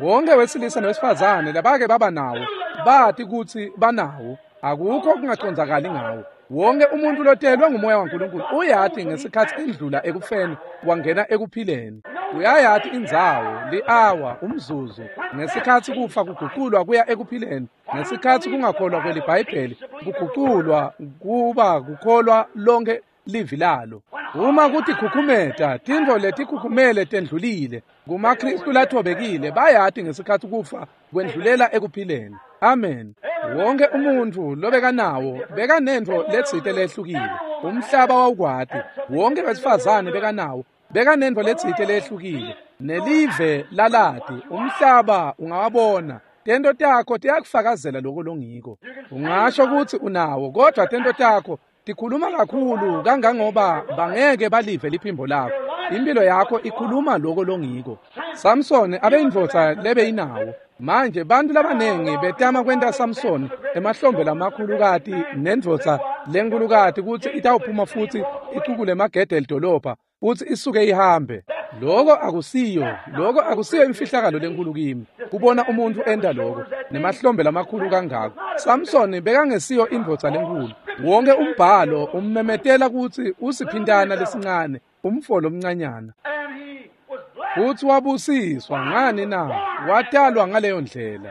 Wonke wesilisa nowesifazane labake baba nawo, bati kutsi banawo. Akukho kungacondzakali ngawo. Wonke umuntu lotelwe nguMoya waNkulunkulu uyati ngesikhatsi endlula ekufeni wangena ekuphileni. Uyayati indzawo, li-awa, umzuzu, ngesikhatsi kufa kuguculwa kuya ekuphileni, ngesikhatsi kungakholwa kweliBhayibheli kuguculwa kuba kukholwa lonke livi lalo. Uma kutikhukhumeta, tintfo letikhukhumele tendlulile. KumaKhristu lathobekile bayati ngesikhatsi kufa kwendlulela ekuphileni. Amen. Wonke umuntfu lobekanawo bekanentfo letsite lehlukile. Umhlaba wawukwati. Wonke wesifazane bekanawo bekanentfo letsite lehlukile. Nelive lalati, umhlaba ungawabona. Tento takho tiyakufakazela lokho longiko. Ungasho kutsi unawo, kodwa tento takho tikhuluma kakhulu kangangoba bangeke balive liphimbo lakho. Impilo yakho ikhuluma lokho longiko. Samson abeyindvodza lebeyinawo. Manje bantu labanengi betama kwenta Samson emahlombe lamakhulukati nendvodza lenkhulukati kutsi itawuphuma futsi icukule emagede elidolobha futsi isuke ihambe. Lokho akusiyo imfihlakalo lenkulu kimi kubona umuntu enta lokho nemahlombe lamakhulu kangako. Samson bekangesiyo indvodza lenkulu. Wonke umbhalo ummemetela kutsi usiphintana lesincane, umfo lomncanyana. Futsi wabusiswa ngani na? Watalwa ngaleyo ndlela.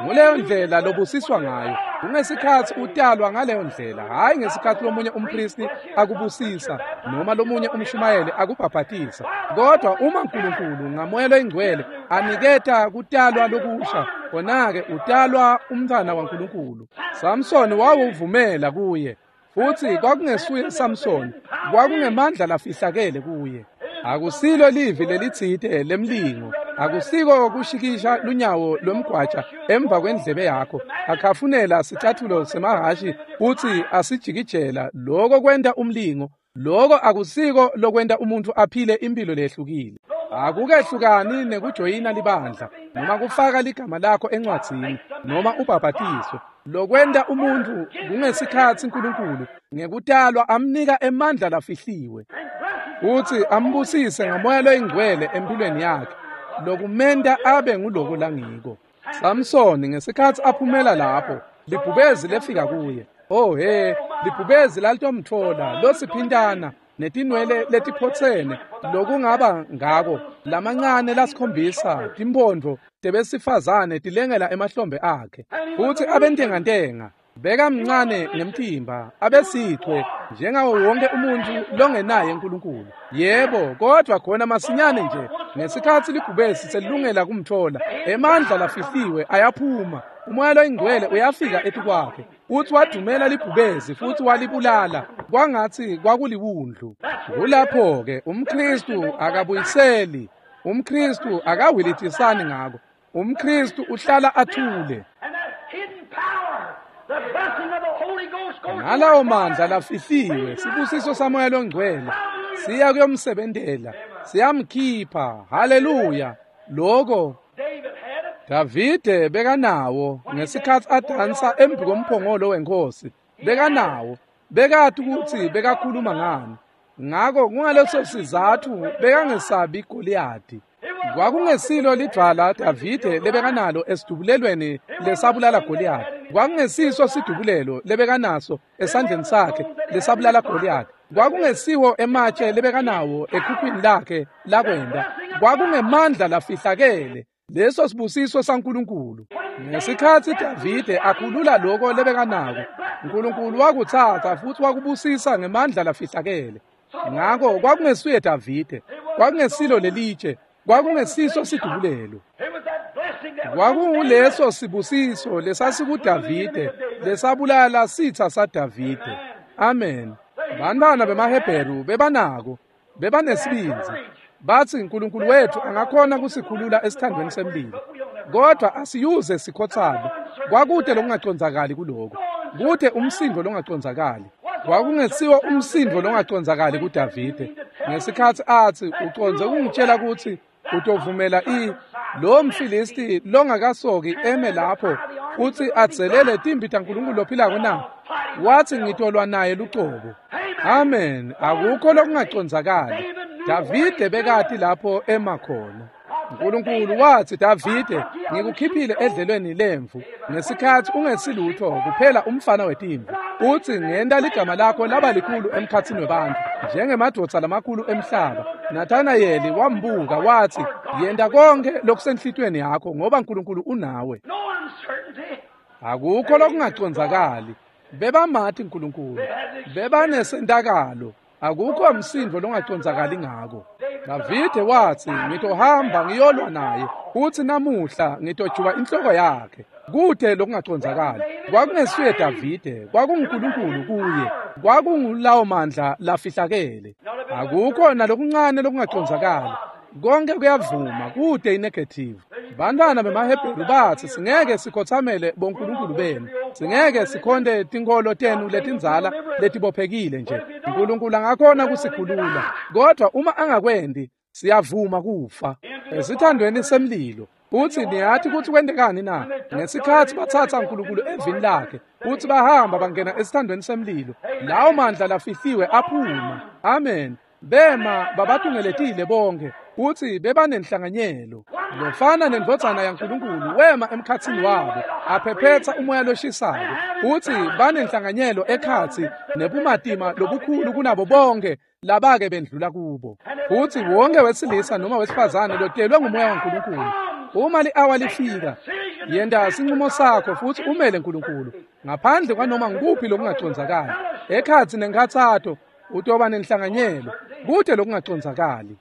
Nguleyo ndlela lobusiswa ngayo. Kungesikhatsi utalwa ngaleyo ndlela, hhayi ngesikhatsi lomunye umpristi akubusisa noma lomunye umshumayeli akubhabhatisa. Kodwa uma uNkulunkulu ngaMoya loyiNgcwele aniketa kutalwa lokusha, khona-ke utalwa umntfwana waNkulunkulu. Samson wawuvumela kuye, futsi kwakungesuye Samson, kwakungemandla lafihlakele kuye. Akusilo livi lelitsite lemlingo, akusiko kushikisha lunyawo lwemgwaja emva kwendlebe yakho, akhafunela sicathulo semahhashi futsi asijikijela. Lokho kwenta umlingo. Lokho akusiko lokwenta umuntu aphile impilo lehlukile. Akukehlukani nekujoyina libandla noma kufaka ligama lakho encwadzini noma ubhabhatiswe. Lokwenta umuntu kungesikhatsi uNkulunkulu ngekutalwa amnika emandla lafihliwe futsi ambusise ngaMoya loyiNgcwele empilweni yakhe, lokumenta abe nguloko langiko. Samson ngesikhatsi aphumela lapho, libhubezi lefika kuye. Oh he, libhubezi lalitomtfola losiphintana netinwele letiphotsene lokungaba ngako lamancane lasikhombisa timphondvo tebesifazane tilengela emahlombe akhe. Futsi abentengantenga, bekamncane ngemtimba, abesithwe njengawo wonke umuntu longenaye uNkulunkulu. Yebo, kodwa khona masinyane nje ngesikhatsi libhubesi selilungela kumthola, emandla lafihliwe ayaphuma. uMoya loyiNgcwele uyafika etikwakhe, futsi wadumela libhubezi futsi walibulala kwangatsi kwakuliwundlu. Kulapho-ke umKhristu akabuyiseli, umKhristu akawilitisani ngako. UmKristu uhlala athule. Ngalawo mandla lafihliwe, sibusiso saMoya loNgcwele siya kuyomsebentela, siyamkhipha. Haleluya! Loko Davide bekanawo ngesikhatsi adansa embi komphongolo wenkosi. Bekanawo, bekati kutsi bekakhuluma ngani. Ngako kungaleso sizatfu bekangesabi Goliyadi. Kwakungesilo lidvwala Davide lebekanalo esidubulelweni lesabulala Goliyadi. Kwakungesiso sidubulelo lebekanaso esandleni sakhe lesabulala Goliyadi. Kwakungesiwo ematshe lebekanawo ekhukhwini lakhe lakwenda. Kwakungemandla lafihlakele. Leso sibusiso saNkulunkulu. Ngesikhatsi Davide akhulula loko lebekanako, uNkulunkulu wakutsatsa futsi wakubusisa ngemandla lafihlakele. Ngako kwakungesuye Davide, kwakungesilo lelitshe, kwakungesiso sidubulelo. Kwakunguleso sibusiso lesasikuDavide lesabulala sitsa saDavide. Amen. Bantwana bemaHebheru bebanako, bebanesibindzi. Batsi uNkulunkulu wethu angakhona kusikhulula esithandweni semlilo, kodwa asiyuze sikhotsane. Kwakude lokungacondzakali kuloko, kude umsindo longacondzakali. Kwakungesiwo umsindo longacondzakali kuDavide ngesikhatsi atsi ucondze kungitshela kutsi utovumela lo mFilisti longakasoki eme lapho futsi adzelele timbi taNkulunkulu lophilako na? Watsi ngitolwa naye lucobo. Amen. Akukho lokungacondzakali. Davide bekati lapho ema khona. uNkulunkulu watsi, Davide, ngikukhiphile edlelweni lemvu ngesikhatsi ungesilutho kuphela umfana wetimvu. Utsi ngenta ligama lakho laba likhulu emkhatsini webantfu njengemadvodza lamakhulu emhlaba. Nathanayeli wambuka watsi, yenta konke lokusenhlitiyweni yakho ngoba uNkulunkulu unawe. Akukho lokungacondzakali. Bebamati uNkulunkulu, bebanesentakalo. Akukho msindo longacondzakali ngako. Davide watsi, ngitohamba ngiyolwa naye, futsi namuhla ngitojuba inhloko yakhe. Kude lokungacondzakali. Kwakungesuye Davide, kwakunguNkulunkulu kuye. Kwakungulawo mandla lafihlakele. Akukho nalokuncane lokungacondzakali. Konke kuyavuma, kude inegative. Bantwana bemaHebheru batsi, singeke sikhotsamele bonkulunkulu benu, singeke sikhonte tinkholo tenu letindzala letibophekile nje. uNkulunkulu angakhona kusikhulula, kodwa uma angakwendi siyavuma kufa esithandweni semlilo. Futsi niyati kutsi kwentekani na? Ngesikhatsi batsatsa uNkulunkulu evini lakhe futsi bahamba bangena esithandweni semlilo, lawo mandla lafihliwe aphuma. Amen. Bema babatungeletile bonke futsi bebanenhlanganyelo. Lofana nendvodzana yaNkulunkulu wema emkhatsini wabo aphephetsa umoya loshisako, futsi banenhlanganyelo ekhatsi nebumatima lobukhulu kunabo bonke labake bendlula kubo. Futsi wonke wesilisa noma wesifazane lotelwe ngumoya waNkulunkulu, uma li-awa lifika, yenta sinqumo sakho futsi umele uNkulunkulu ngaphandle kwanoma ngukuphi lokungacondzakali. Ekhatsi nenkhatsato utoba nenhlanganyelo, kude lokungacondzakali.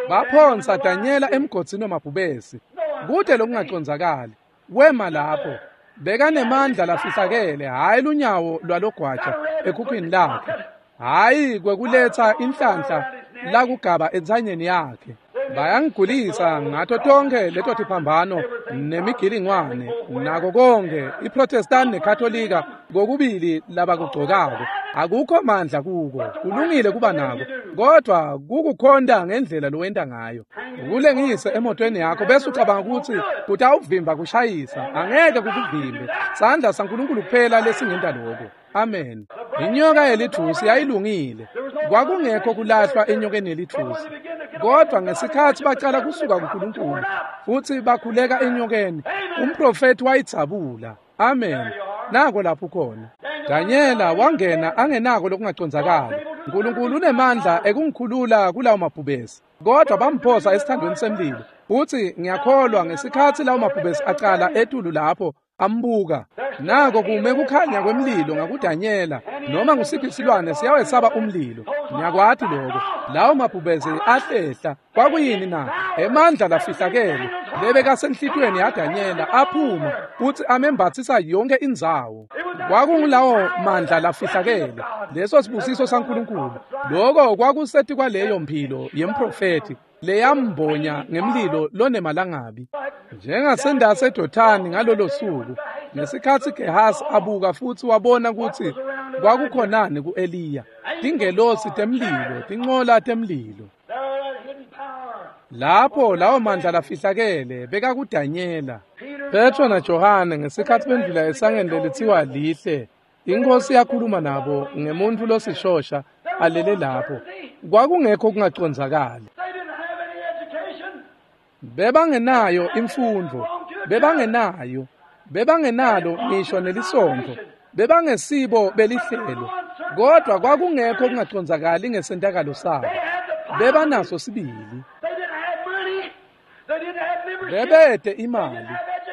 Baphonsa Danyela emgodzini wamabhubesi, kude lokungacondzakali. Wema lapho, bekanemandla lafihlakele, hhayi lunyawo lwalogwaja ekhukhwini lakhe, hhayi kwekuletsa inhlanhla lakugaba entsanyeni yakhe. Bayangigulisa ngato tonkhe leto tiphambano nemigilingwane nako konke iProtestant neKatolika kokubili labakugcokako. Akukho mandla kuko, kulungile kuba nako, kodwa kukukhonta ngendlela lowenta ngayo. Ukulengise emotweni yakho bese ucabanga kutsi kutawuvimba kushayisa, angeke kukuvimbe. Sandla saNkulunkulu kuphela lesingenta lokho. Amen. Inyoka yelithusi yayilungile. Kwakungekho kulahlwa enyokeni yelithusi. Kodwa ngesikhatsi bacala kusuka kuNkulunkulu futsi bakhuleka enyokeni, umprofethi wayidzabula. Amen. Nako lapho khona. Danyela wangena angenako lokungacondzakali. uNkulunkulu unemandla ekungikhulula kulawo mabhubesi, kodwa bamphosa esithandweni semlilo. Futsi ngiyakholwa ngesikhatsi lawo mabhubesi acala etulu lapho ambuka, nako kume kukhanya kwemlilo ngakuDanyela. Noma ngusiphi silwane siyawesaba umlilo, ngiyakwati lokho. Lawo mabhubesi ahlehla. Kwakuyini na? Emandla lafihlakele lebekasenhlitiyweni yaDanyela aphuma futsi amembatsisa yonke indzawo. Kwakungulawo mandla lafihlakele, leso sibusiso saNkulunkulu. Loko kwakuseti kwaleyo mphilo yemprofethi leyambonya ngemlilo lonemalangabi. Njengasendase eDothani ngalolo suku, ngesikhatsi Gehazi abuka futsi wabona kutsi kwakukhonani ku-Eliya, tingelosi temlilo, tincola temlilo. Lapho lawo mandla lafihlakele bekakuDanyela. Petro naJohane ngesikhatsi bendlula esangeni lelitsiwa Lihle, iNkhosi yakhuluma nabo ngemuntfu losishosha alele lapho. Kwakungekho kungacondzakali. Bebangenayo imfundvo, bebangenayo, bebangenalo ngisho nelisontfo, bebangesibo belihlelo, kodwa kwakungekho kungacondzakali ngesentakalo sabo. Bebanaso sibili. Bebete imali,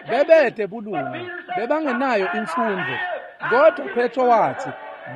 bebete bulunga, bebangenayo imfundvo, kodwa Petro wathi,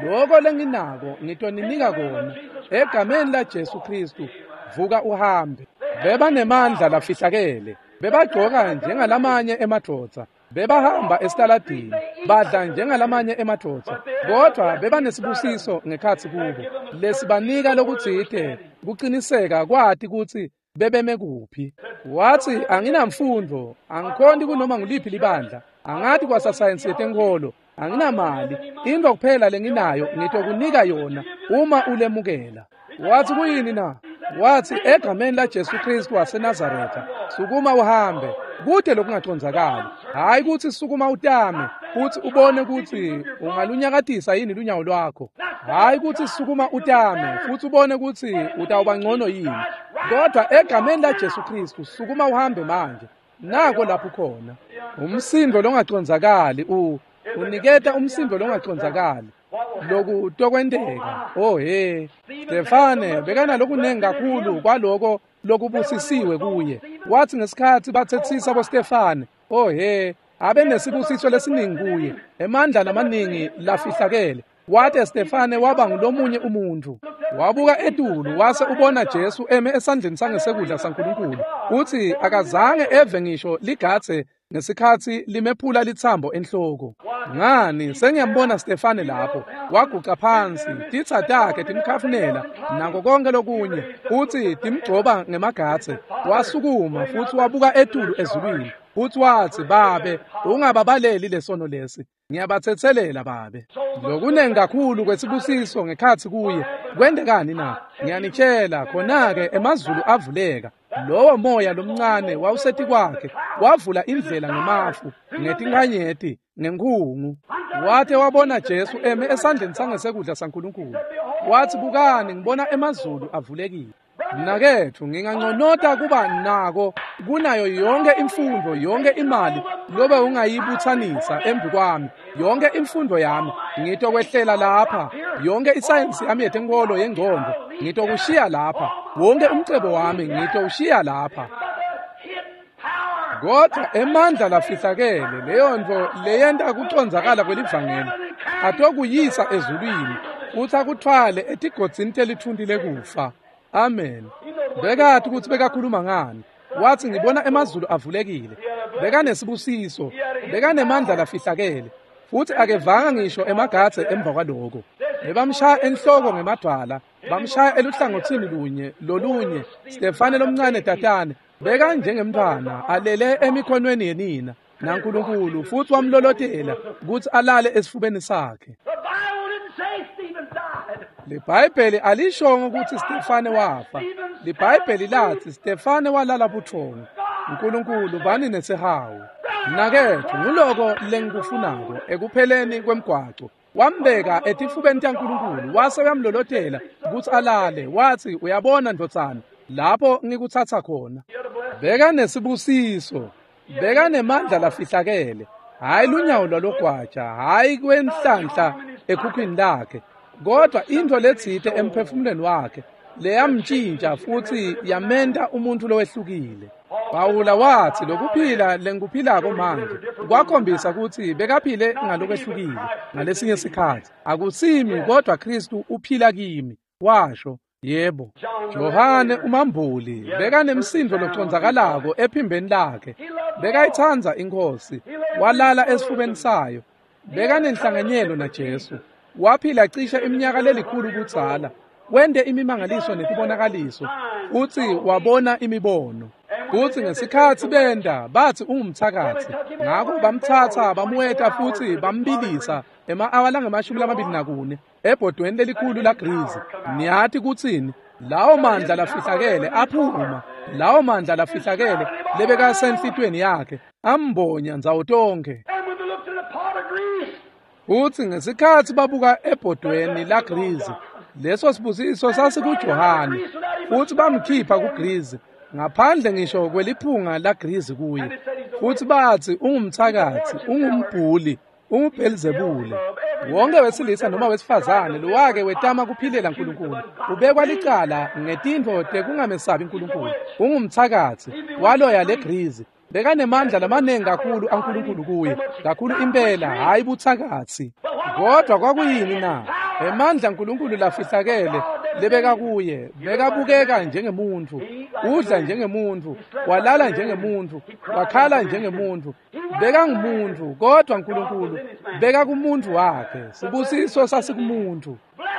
"Lokho lenginako ngitoninika kona, egameni laJesu Kristu, vuka uhambe." Bebanemandla lafihlakele, bebagcoka njengalamanye emadvodza, bebahamba esitaladini, badla njengalamanye emadvodza, kodwa bebanesibusiso ngekhatsi kubo lesibanika lokutsite kuqiniseka kwati kutsi bebeme kuphi. Wathi, "Anginamfundo, angikhonti kunoma nguliphi libandla, angati kwasasayensi yetenkholo, anginamali, into kuphela lenginayo ngitokunika yona uma ulemukela." Wathi, "Kuyini na?" Wathi, "Egameni laJesu Kristu waseNazaretha, sukuma uhambe." Kude lokungacondzakali. Hayi kutsi sukuma utame, futsi ubone kutsi ungalunyakatisa yini lunyawo lwakho. Hayi kutsi sukuma utame, futsi ubone kutsi utawuba ngcono yini. Kodwa egameni laJesu Kristu, sukuma uhambe manje. Nako lapho khona. Umsindo longacondzakali uniketa umsindo longacondzakali. Loku tokwenteka. Oh he, Stefane bekanalokunengi kakhulu kwaloko lokubusisiwe kuye. Wathi ngesikhatsi bathetsisa boStefane, oh he, abe nesibusiso lesiningi kuye, emandla lamaningi lafihlakele. Wathi Stefane waba ngulomunye umuntu. Wabuka etulu wase ubona Jesu eme esandleni sangesekudla saNkulunkulu. Uthi akazange eve ngisho ligatse ngesikhatsi limephula litsambo enhloko. Ngani, sengiyambona Stefane lapho, waguca phansi, titsa takhe timkhafunela nako konke lokunye, uthi timgcoba ngemagatse. Wasukuma futhi wabuka etulu ezulwini, futhi wathi, "Babe, ungababaleli lesono lesi, ngiyabathetselela Babe." Lokunengi kakhulu kwesibusiso ngekhatsi kuye. Kwendekani na? Ngiyanitshela, khona-ke emazulu avuleka. Lowo moya lomncane wawusetikwakhe wavula indlela ngemafu, ngetinkanyeti, ngenkhungu. Wathi wabona Jesu eme esandleni sangesekudla saNkulunkulu. Wathi, "Bukani, ngibona emazulu avulekile." Mnaketfu, nginganconota kuba nako kunayo yonke imfundo, yonke imali lobe ungayibutsanisa embi kwami, yonke imfundo yami ngitokwehlela lapha, yonke isayensi yami yetenkolo yengcondvo ngitokushiya lapha, wonke umcebo wami ngitowushiya lapha. Kodwa emandla lafihlakele, leyo ntfo leyenta kucondzakala kwelivangeli, atokuyisa ezulwini futsi akuthwale etigodzini telithunti lekufa. Amen. Bekati kutsi bekakhuluma ngani. Wathi, "Ngibona emazulu avulekile." Bekanesibusiso, bekanemandla lafihlakele, futsi akevanga ngisho emagatse emva kwaloko. Bebamshaya enhloko ngemadwala, bamshaya eluhlangotsini lunye lolunye. Stefane lomncane tatane bekanjengemntfwana alele emikhonweni yenina naNkulunkulu, futsi wamlolotela kutsi alale esifubeni sakhe. LiBhayibheli alishongo kutsi Stefane wafa. LiBhayibheli lathi Stefane walala buthongo. Nkulunkulu bani nesihawu. Mnaketfu, nguloko lengikufunako ekupheleni kwemgwaco. Wambeka etifubeni taNkulunkulu wase uyamlolotela kutsi alale. Wathi, "Uyabona ndvodzana, lapho ngikutsatsa khona." Bekanesibusiso, bekanemandla lafihlakele, hhayi lunyawo lwalogwaja, hhayi kwenhlanhla ekhukhwini lakhe, kodwa intfo letsite emphefumulweni wakhe leyamtshintsha futsi yamenta umuntfu lowehlukile. Pawula wathi, "Lokuphila lengikuphilako manje kwakhombisa kutsi bekaphile ngalokwehlukile ngalesinye sikhatsi. Akusimi kodwa Kristu uphila kimi," washo. Yebo. Johane umambuli bekanemsindo locondzakalako ephimbeni lakhe. Bekayitsandza iNkhosi, walala esifubeni sayo. Bekanenhlanganyelo naJesu. Waphila cishe iminyaka lelikhulu kudzala. Wente imimangaliso netibonakaliso futsi wabona imibono. Futsi ngesikhatsi benda bathi ungumthakathi, ngakho bamthatha bamweta futsi bambilisa ema-awa langama-24 ebhodweni lelikhulu lagrizi. Niyathi kutsini? Lawo mandla lafihlakele aphuma, lawo mandla lafihlakele lebekasenhlitweni yakhe ambonya ndzawo tonkhe. Futsi ngesikhatsi babuka ebhodweni lagrizi, leso sibusiso sasikuJohane, futsi bamkhipha kugrizi ngaphandle ngisho kweliphunga lagrizi kuye. Futsi bathi ungumthakathi, ungumbhuli, unguBhelzebule. Wonke wesilisa noma wesifazane lowake wetama kuphilela uNkulunkulu ubekwa licala ngetintfo tekungamesabi uNkulunkulu. Ungumthakathi, waloya legrizi. Bekanemandla lamaningi kakhulu aNkulunkulu kuye, kakhulu impela, hayi buthakathi. Kodwa kwakuyini na? Emandla uNkulunkulu lafihlakele lebeka kuye, bekabukeka njengemuntfu, udla njengemuntfu, walala njengemuntfu, wakhala njengemuntfu. Bekangumuntu, kodwa uNkulunkulu bekakumuntu wakhe. Sibusiso sasikumuntu.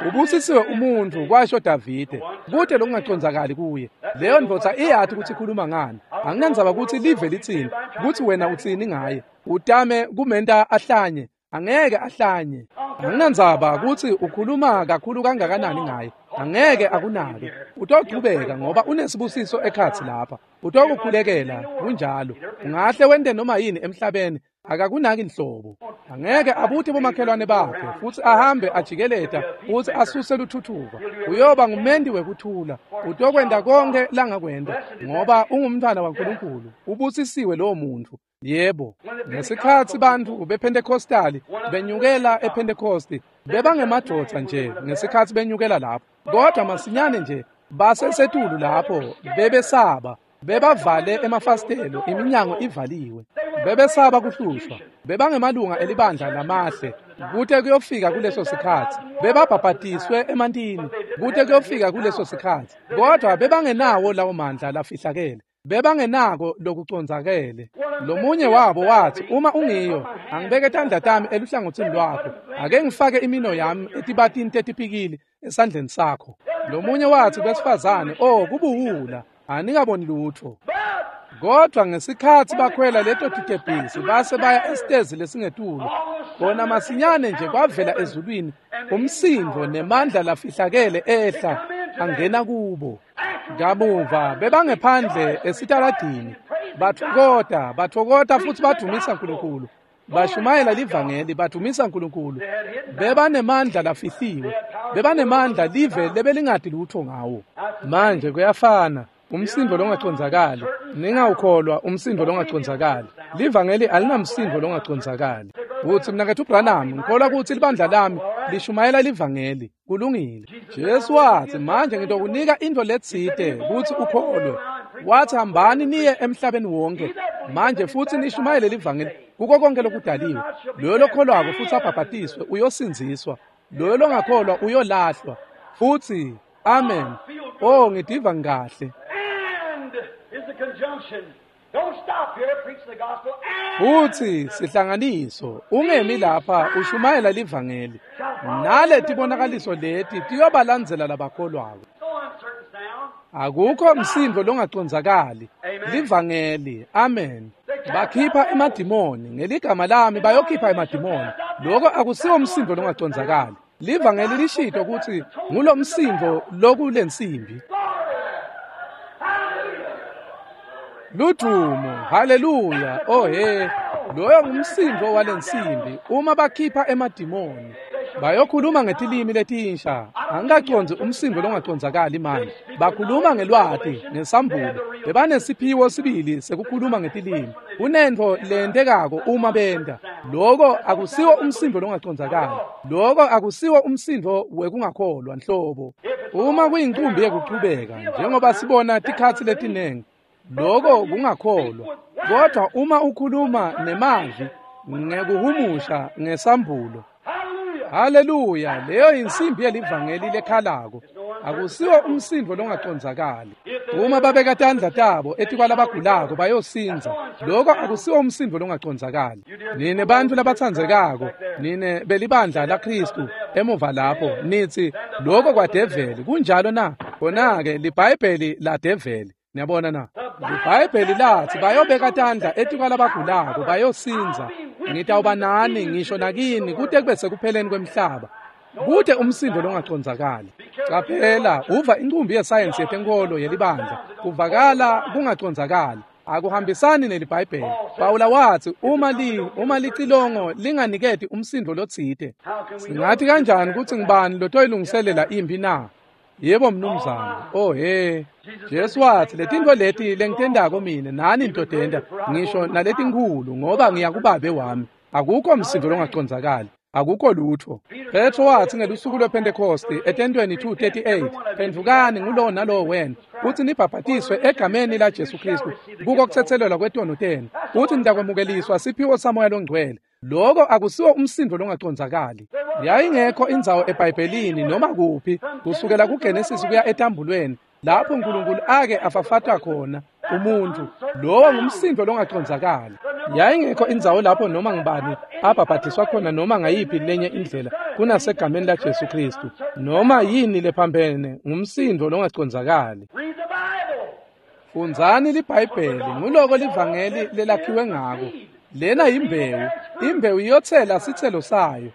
Ubusisiwe umuntu, kwasho Davide, kute lokungacondzakali kuye. Leyo ndvodza iyathi ukuthi ikhuluma ngani. Anginandzaba ukuthi live litsini, ukuthi wena utsini ngaye. Utame kumenta ahlanye, angeke ahlanye. Anginandzaba ukuthi ukhuluma kakhulu kangakanani ngaye, angeke akunake. Utochubeka ngoba unesibusiso ekhatsi lapha. Utokukhulekela kunjalo. Ungahle wente noma yini emhlabeni, akakunaki nhlobo. Angeke abuthe bomakhelwane bakhe futsi ahambe ajikeleta futsi asuse luthuthuva. Uyoba ngumendi wekuthula. Utokwenta konke langakwenta ngoba ungumntwana waNkulunkulu. Ubusisiwe lowo muntu. Yebo, ngesikhatsi bantfu bePentecostali benyukela ePentecosti, bebangemadvodza nje ngesikhatsi benyukela lapho. Kodwa masinyane nje basesetulu lapho bebesaba, bebavale emafasitelo, iminyango ivaliwe. Bebesaba kuhlushwa, bebangemalunga elibandla lamahle kute kuyofika kuleso sikhatsi. Bebabhabhatiswe emantini kute kuyofika kuleso sikhatsi, kodwa bebangenawo lawo mandla lafihlakele. Bebangenako lokucondzakele. Lomunye wabo wathi, uma ungiyo, angibeke tandla tami eluhlangothini lwakho, ake ngifake imino yami etibatini tetipikili esandleni sakho. Lomunye wathi kwesifazane, oh, kubuwula, anikaboni lutho. Kodwa ngesikhatsi bakhwela leto titebhisi base baya esitezi lesingetulu, kona masinyane nje kwavela ezulwini umsindo nemandla lafihlakele ehla angena kubo. Kamuva bebangephandle esitaladini, bathokota, bathokota futsi badumisa uNkulunkulu. Bashumayela livangeli, badumisa uNkulunkulu. Bebanemandla lafihliwe, bebanemandla live lebelingati lutho ngawo. Manje kuyafana, umsindo longacondzakali. Ningawukholwa umsindo longacondzakali. Livangeli alinamsindo longacondzakali. Uthi mnaketfu Branham, ngikholwa ukuthi libandla lami lishumayela livangeli. Kulungile. Jesu wathi, manje ngitokunika into letsite kutsi ukholwe. Wathi hambani niye emhlabeni wonke manje futsi nishumayele livangeli kuko konke lokudaliwe. Loyo lokholwako futsi abhabhatiswe uyosindziswa, loyo longakholwa uyolahlwa. Futsi amen. Oh, ngidiva ngikahle. Futsi sihlanganiso, ungemi lapha ushumayela livangeli. Nale tibonakaliso leti tiyobalandzela labakholwako. Akukho msindo longacondzakali. Livangeli, amen. Bakhipha emadimoni, ngeligama lami bayokhipha emadimoni. Lokho akusiwo umsindo longacondzakali. Livangeli lishito ukuthi ngulomsindo lokulensimbi. Ludumo, haleluya, oh he, loyo ngumsindo walensimbi uma bakhipha emadimoni. Bayokhuluma ngetilimi letinsha. Angikacondzi umsindo longacondzakali manje. Bakhuluma ngelwati, ngesambulo. Bebanesiphiwo sibili sekukhuluma ngetilimi. Kunentfo lentekako uma benta. Loko akusiwo umsindo longacondzakali. Loko akusiwo umsindo wekungakholwa nhlobo. Uma kuyincumbi yekuchubeka, njengoba sibona tikhatsi letinengi, loko kungakholwa. Kodwa uma ukhuluma nemavi ngekuhumusha ngesambulo, haleluya, leyo insimbi yelivangeli lekhalako. Akusiwo umsindo longacondzakali. Uma babeka tandla tabo etikwalabagulako bayosindza. Lokho akusiwo umsindo longacondzakali. Nine bantfu labatsandzekako, nine belibandla laKhristu emuva lapho, nitsi lokho kwadeveli, kunjalo na? Khona-ke liBhayibheli ladeveli. Niyabona na? LiBhayibheli lathi bayobeka tandla etikwalabagulako bayosindza. Ngitawuba nani ngisho nakini kute kube sekupheleni kwemhlaba. Kute umsindo longacondzakali. Caphela, uva incumbi yesayensi yetenkolo yelibandla, kuvakala kungacondzakali. Akuhambisani neliBhayibheli. Pawula watsi uma licilongo linganiketi umsindo lotsite, singathi kanjani kutsi ngibani lotoyilungiselela imphi na? Yebo mnumzane. Oh he. Jesu watsi letintfo leti lengitendako mine nani nitotenta, ngisho naletinkhulu, ngoba ngiya kuBabe wami. Akukho msindo longacondzakali. Akukho lutho. Petro watsi ngelusuku lwePhentekosti etentweni 2:38, phendvukani ngulowo nalowo wena, kutsi nibhabhatiswe egameni laJesu Khristu kuko kutsetselelwa kwetono tenu, kutsi nitakwemukeliswa siphiwo saMoya loNgcwele. Lokho akusiwo umsindo longacondzakali. Yayingekho indzawo eBhayibhelini noma kuphi kusukela kuGenesis kuya etambulweni lapho uNkulunkulu ake afafatwa khona umuntu. Lowo ngumsindo longacondzakali. Yayingekho indzawo lapho noma ngibani abhabhadiswa khona noma ngayiphi lenye indlela kunasegameni laJesu Khristu. Noma yini lephambene ngumsindo longacondzakali. Fundzani liBhayibheli, nguloko livangeli lelakhiwe ngako. Lena yimbewu, imbewu iyothela sithelo sayo.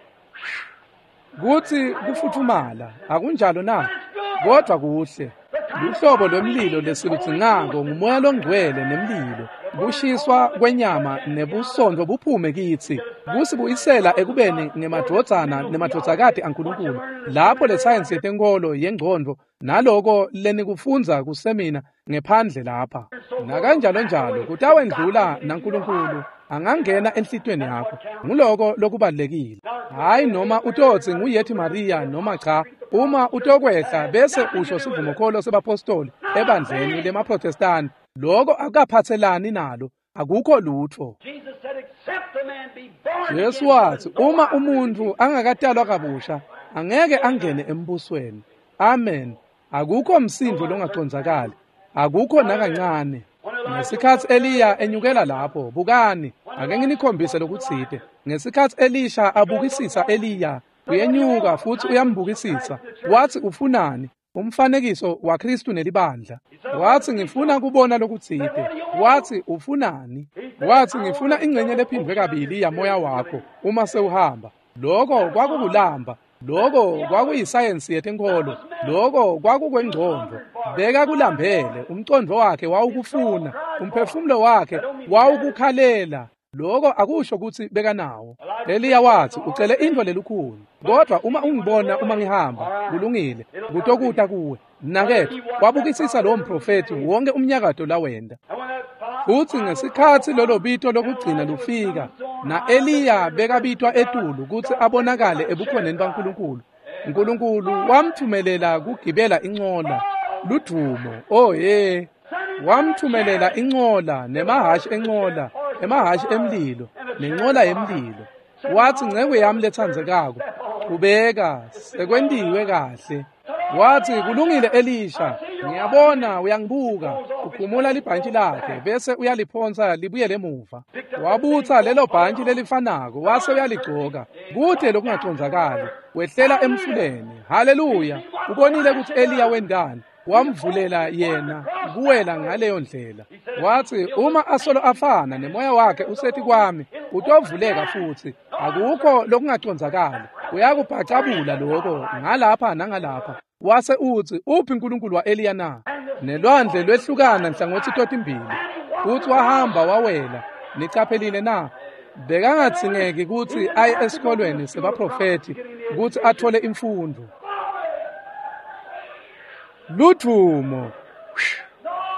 Kuthi kufuthumala, akunjalo na? Kodwa kuhle. Luhlobo lwemlilo lesiludzingako ngumoya longcwele nemlilo. Kushiswa kwenyama nebusondo buphume kitsi, kusibuyisela ekubeni ngemadvodzana nemadvodzakati aNkulunkulu. Lapho lesayensi yetenkolo yengcondvo naloko lenikufundza kusemina ngephandle lapha. Nakanjalo njalo kutawendlula naNkulunkulu angangena enhlitiyweni yakho. Nguloko lokubalekile. Hayi noma utotsi nguyethi Maria noma cha, uma utokwehla bese usho sivumokholo sebapostoli ebandleni lemaProtestani, lokho akaphathelani nalo, akukho lutho. Jesu watsi uma umuntu angakatalwa kabusha angeke angene embusweni. Amen. Akukho msindo longacondzakali, akukho nakancane. Ngesikhatsi Eliya enyukela lapho, bukani, ake nginikhombise lokutsite. Ngesikhatsi Elisha abukisisa Eliya, uyenyuka futhi uyambukisisa. Wathi ufunani? Umfanekiso waKhristu nelibandla. Wathi ngifuna kubona lokutsite. Wathi ufunani? Wathi ngifuna ingcenye lephindwe kabili yamoya wakho uma sewuhamba. Lokho kwakukulamba. Lokho kwakuyisayensi yetenkolo. Lokho kwakukwengcondvo. Beka kulambele, umcondvo wakhe wawukufuna, umphefumulo wakhe wawukukhalela. Lokho akusho kutsi bekanawo. Eliya wathi ucele intfo lelukhulu, kodwa uma ungibona uma ngihamba, kulungile, kutokuta kuwe. Mnaketfu, wabukisisa lowo mprofethi wonke umnyakato lawenda. Futsi ngesikhatsi lolo bito lokugcina lufika, na-Eliya bekabitwa etulu kutsi abonakale ebukhoneni baNkulunkulu. Nkulunkulu wamthumelela kugibela incola, ludumo, oh ye. Wamthumelela incola nemahhashi encola, emahhashi emlilo, nencola yemlilo. Wathi nceku yami letsandzekako, qhubeka, sekwentiwe kahle. Wathi kulungile Elisha, ngiyabona uyangibuka. Ukhumula libhantshi lakhe bese uyaliphonsa libuyele emuva. Wabutsa lelo bhantshi lelifanako wase uyaligcoka. Kude lokungacondzakali, wehlela emfuleni. Haleluya! Ubonile ukuthi Eliya wendani. Wamvulela yena kuwela ngaleyo ndlela. Wathi uma asolo afana nemoya wakhe usethi kwami, utovuleka futhi. Akukho lokungacondzakali. Uyakubhacabula lokho ngalapha nangalapha. Wase uthi uphi uNkulunkulu wa-Eliya na? Nelwandle lwehlukana nhlangothi totimbili. Futhi wahamba wawela. Nicaphelile na? Bekangadzingeki kutsi aye esikolweni sebaprofethi kutsi athole imfundo. Ludvumo.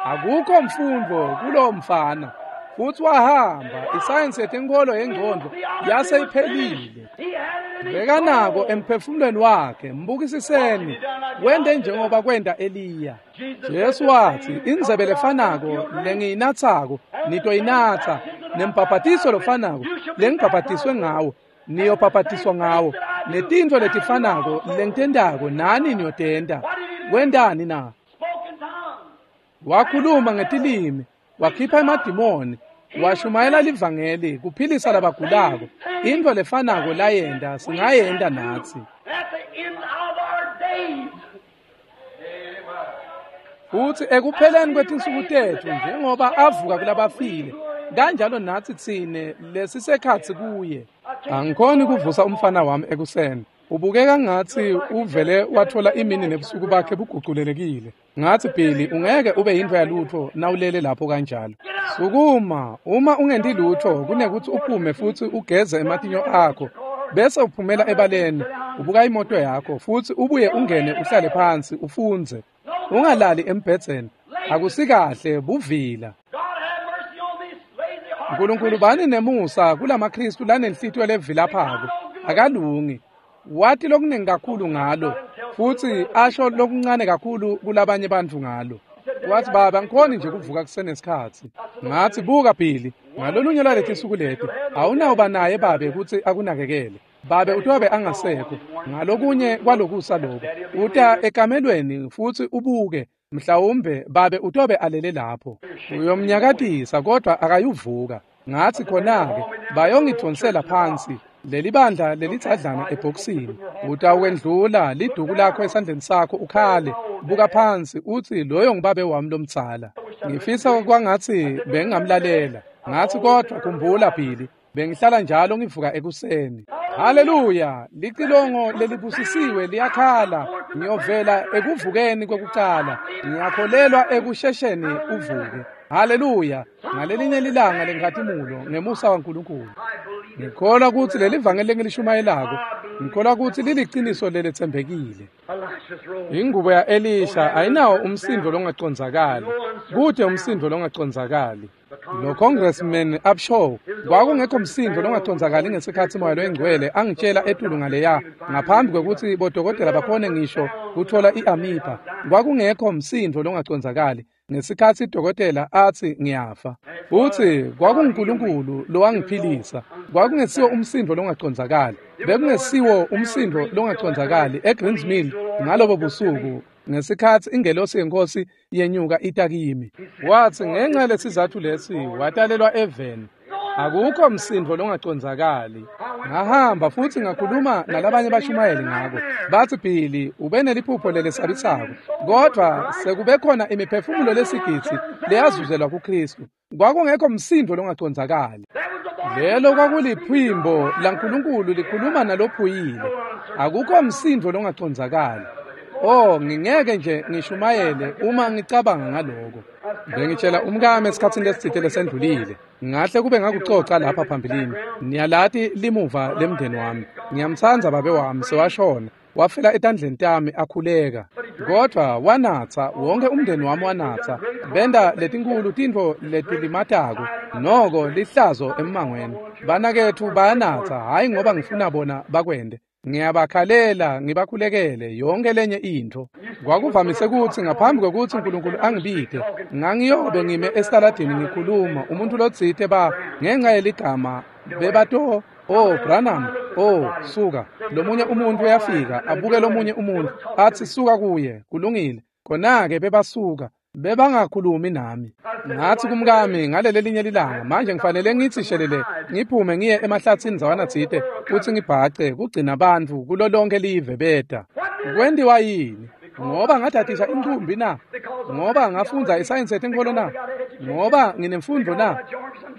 Akukho mfundo kulowo mfana. Futhi wahamba, isayensi yetenkolo yengcondvo yase iphelile. Bekanako emphefumulweni wakhe, mbukisiseni, wente njengoba kwenta Eliya. Jesu wathi, indzebe lefanako lengiyinatsako, nitoyinatsa, nembhabhatiso lofanako lengibhabhatiswe ngawo, niyobhabhatiswa ngawo, netintfo letifanako lengitentako nani niyotenta. Wentani na? Wakhuluma ngetilimi, wakhipha emadimoni, washumayela livangeli, kuphilisa labagulako. Intfo lefanako layenta singayenta natsi. Futsi ekupheleni kwetinsuku tetfu njengoba avuka kulabafile, kanjalo natsi tsine lesisekhatsi kuye. Angikhoni kuvusa umfana wami ekuseni. Ubukeka ngathi uvele wathola imini nebusuku bakhe buguculelekile. Ngathi Billy ungeke ube yintfo yalutho nawulele lapho kanjalo. Sukuma, uma ungenti lutho kunekuthi uphume futsi ugeze ematinyo akho bese uphumela ebaleni, ubuka imoto yakho futsi ubuye ungene uhlale phansi ufundze. Ungalali embhedzeni. Akusikahle buvila. Nkulunkulu bani nemusa kulamaKristu lanenhlitiyo levilaphako. Akalungi. Wathi lokuningi kakhulu ngalo futsi asho lokuncane kakhulu kulabanye bantfu ngalo. Wathi baba ngikhoni nje kuvuka kusenesikhatsi. Ngathi buka Billy, ngalolunye lwaletinsuku leti awunawuba naye babe kutsi akunakekele. Babe utobe angasekho. Ngalokunye kwalokusa lokho uta ekamelweni futsi ubuke mhlawumbe babe utobe alele lapho. Uyomnyakatisa kodwa akayuvuka. Ngathi khona-ke bayongidonsela phansi leli bandla lelitsadlana ebhokisini. Utawendlula liduku lakho esandleni sakho ukhale, buka phansi uthi loyo ngibabe wami lomdzala. Ngifisa kwangathi bengingamlalela. Ngathi kodwa khumbula Billy, bengihlala njalo ngivuka ekuseni. Haleluya, licilongo lelibusisiwe liyakhala. Ngiyovela ekuvukeni kwekucala. Ngiyakholelwa ekushesheni uvuke. Haleluya, ngalelinye lilanga lenkhatimulo ngemusa waNkulunkulu. Ngikholwa kutsi leli vangeli lengilishumayelako, ngikholwa kutsi liliciniso leletsembekile. Ingubo ya-Elisha ayinawo umsindo longacondzakali. Kute umsindo longacondzakali. Lo Congressman Upshaw kwakungekho msindo longacondzakali ngesikhatsi Moya Loyingcwele angitshela etulu ngaleya ngaphambi kwekutsi bodokotela bakhone ngisho kuthola i-amiba. Kwakungekho msindo longacondzakali ngesikhatsi dokotela atsi ngiyafa. Futsi kwakunguNkulunkulu lowangiphilisa. Kwakungesiwo umsindo longacondzakali. Bekungesiwo umsindo longacondzakali eGreens Mill ngalobo busuku ngesikhatsi ingelosi yenkosi yenyuka ita kimi. Watsi ngenxa lesizathu lesi watalelwa eveni. Akukho msindo longacondzakali. Ngahamba futsi ngakhuluma nalabanye bashumayeli ngako. Batsi Billy ube neliphupho lelesabisako, kodvwa sekube khona imiphefumulo lesigidzi leyazuzelwa kuKristu. Kwakungekho msindo longacondzakali. Lelo kwakuliphimbo laNkulunkulu likhuluma nalophuyile. Akukho msindo longacondzakali. Oh, ngingeke nje ngishumayele uma ngicabanga ngaloko. Bengitshela umkami esikhatsini lesitsite lesendlulile. Ngahle kube ngakucoca lapha phambilini. Niyalati limuva lemndeni wami. Ngiyamtsandza babe wami sewashona. Wafela etandleni tami akhuleka. Kodwa wanatsa, wonke umndeni wami wanatsa. Benda letinkulu tintfo letilimatako. Noko lihlazo emmangweni. Banaketfu bayanatsa, hhayi ngoba ngifuna bona bakwente. Ngiyabakhalela ngibakhulekele yonke lenye intfo. Kwakuvamise kutsi ngaphambi kwekutsi uNkulunkulu angibite, ngangiyobe ngime esitaladini ngikhuluma umuntu lotsite ba ngenxa yeligama bebato, oh Branham, oh suka. Lomunye umuntu uyafika abuke lomunye umuntu athi suka kuye, kulungile. Khona-ke bebasuka. Bebangakhulumi nami. Ngathi kumkami ngaleli linye lilanga, manje ngifanele ngitsi shelele ngiphume ngiye emahlatsini ndzawana tsite kutsi ngibhace kugcina bantfu kulo lonke live beta. Kwentiwa yini? Ngoba ngadadisha inkumbi na? Ngoba ngafundza isayensi yetinkholo na? Ngoba nginemfundo na?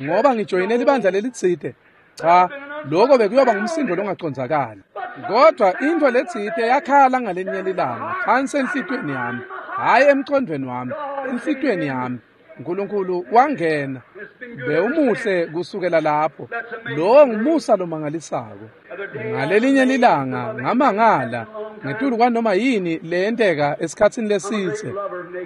Ngoba ngijoyine libandla lelitsite? Cha, lokho bekuyoba ngumsindo longacondzakali. Kodwa intfo letsite yakhala ngalenye lilanga phansi enhlitiyweni yami. Hhayi emcondvweni wami, enhlitiyweni yami. uNkulunkulu wangena. Bewumuhle kusukela lapho. Lowo ngumusa lomangalisako. Ngalelinye lilanga ngamangala ngetulu kwanoma yini leyenteka esikhatsini lesitse.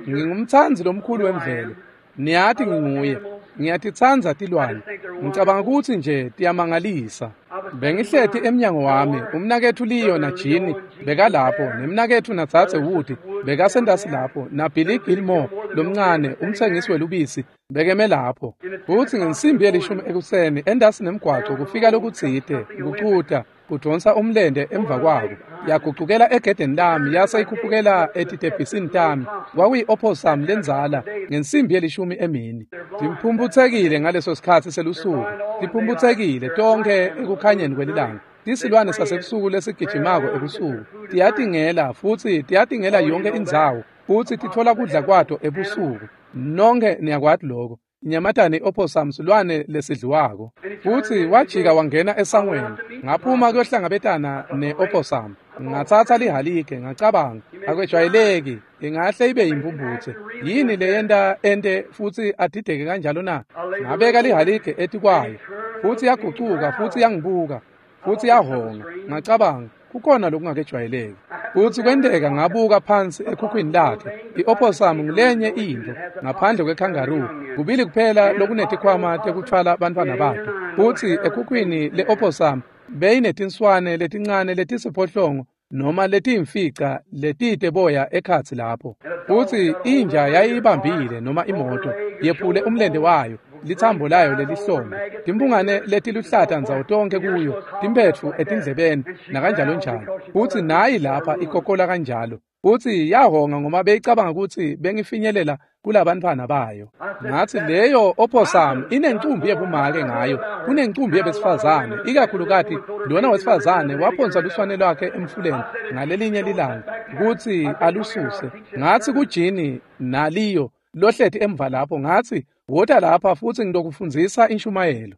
Ngingumtsandzi lomkhulu wemvelo. Niyati nginguye. Ngiyatitsandza tilwane. Ngicabanga kutsi nje tiyamangalisa. Bengihleti emnyango wami, umnaketfu Leo naJini bekalapho, nemnaketfu naDzadze Wood bekasentasi lapho, naBilly Gilmore lomncane umtsengisi welubisi bekeme lapho. Futsi ngensimbi yelishumi ekuseni entasi nemgwaco kufika lokutsite kucuta. kudvonsa umlente emva kwako. Yagucukela egedeni lami yase ikhuphukela etitebhisini tami. Kwakuyi-opossum lendzala ngensimbi yelishumi emini. Tiphumphutsekile ngaleso sikhatsi selusuku, tiphumphutsekile tonkhe ekukhanyeni kwelilanga. Tisilwane sasebusuku lesigijimako ebusuku tiyatingela futsi tiyatingela yonke indzawo futsi titfola kudla kwato ebusuku. Nonke niyakwati lokho. Inyamatane i-opossum silwane lesidliwako. Futsi wajika wangena esangweni. Ngaphuma kuyohlangabetana ne-opossum. Ngatsatsa lihalike ngacabanga, akwejwayeleki, ingahle ibe yimphumphutse. Yini leyenta ente futsi adideke kanjalo na? Ngabeka lihalike etikwayo. Futsi yagucuka futsi yangibuka. Futsi yahonga. Ngacabanga, kukhona lokungakejwayeleki. Futsi kwenteka ngabuka phansi ekhukhwini lakhe. I-opossum ngulenye intfo ngaphandle kwe-kangaroo. Kubili kuphela lokunetikhwama tekuthwala bantfwana bato. Futsi ekhukhwini le-opossum beyinetinswane letincane letisiphohlongo noma letiyimfica letite boya ekhatsi lapho. Futsi inja yayibambile noma imoto yephule umlente wayo, litsambo layo lelihlombe, timphungane letiluhlata ndzawo tonke kuyo, timphetfu etindlebeni nakanjalo njalo. Futsi nayi lapha ikokola kanjalo. Futsi yahonga ngoba beyicabanga kutsi bengifinyelela kulabantfwana bayo. Ngathi leyo opossum inencumbi yebumake ngayo, kunencumbi yebesifazane, ikakhulukati lona wesifazane waphonsa luswane lwakhe emfuleni ngalelinye lilanga kutsi alususe. Ngathi kujini naliyo lohleti emva lapho, ngathi wota lapha futsi ngitokufundzisa inshumayelo.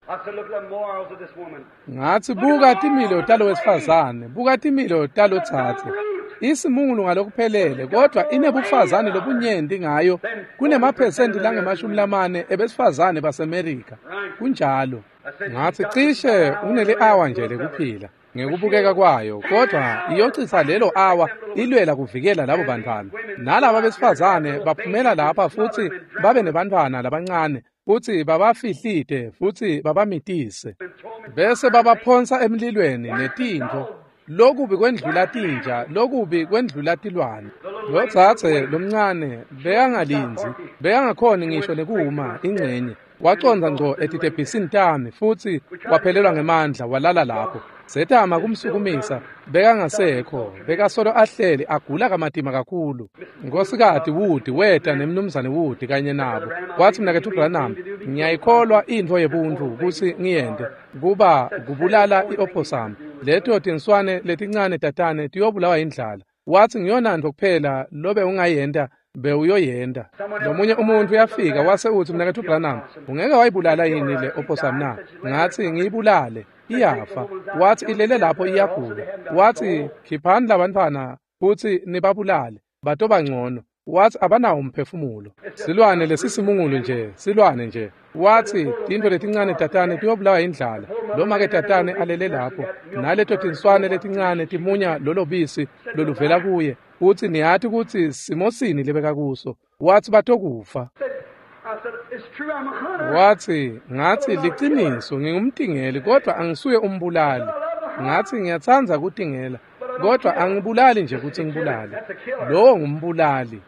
Ngathi buka timilo talo wesifazane, buka timilo talotsatse. Isimungulu ngalokuphelele kodwa inebufazane lobunyenti ngayo kunemaphesenti langama-40 ebesifazane baseMerika. Kunjalo. Ngathi cishe unele awa nje lekuphila ngekubukeka kwayo, kodwa iyocitsa lelo awa ilwela kuvikela labo bantfwana. Nalaba besifazane baphumela lapha futsi babe nebantfwana labancane futsi babafihlite futsi babamitise bese babaphonsa emlilweni netintfo. Lokubi kwendlula tinja, lokubi kwendlula tilwane. Lotsatse lomncane bekangalindzi, bekangakhoni ngisho nekuma ingcenye. Wacondza ngco etitebhisini tami futsi waphelelwa ngemandla walala lapho. Setama kumsukumisa, bekangasekho, bekasolo ahleli agula kamatima kakhulu. Nkosikazi Wood weta nemnumzane Wood kanye nabo. Wathi mnaketfu Branham, ngiyayikholwa intfo yebuntfu kutsi ngiyente kuba kubulala i-opossum. Leto tinswane letincane tatane tiyobulawa indlala. Wathi ngiyona nto kuphela lobe ungayenta bewuyoyenta. Lomunye umuntu uyafika wase uthi mnaketfu Branham, ungeke wayibulala yini le opossum na? Ngathi ngiyibulale, iyafa. Wathi ilele lapho iyagula. Wathi khiphani labantfwana futsi nibabulale, batoba ngcono. Wathi abanawo umphefumulo. Silwane lesisimungulu nje, silwane nje. Wathi tintfo letincane tatane tiyobulawa indlala. Loma ke tatane alele lapho, naleto tinswane letincane timunya lolo bisi loluvela kuye. Uthi niyati kutsi simosini lebeka kuso. Wathi batokufa. Wathi ngathi liciniso ngingumtingeli kodwa angisuye umbulali. Ngathi ngiyatsandza kutingela kodwa angibulali nje kutsi ngibulale. Lowo ngumbulali.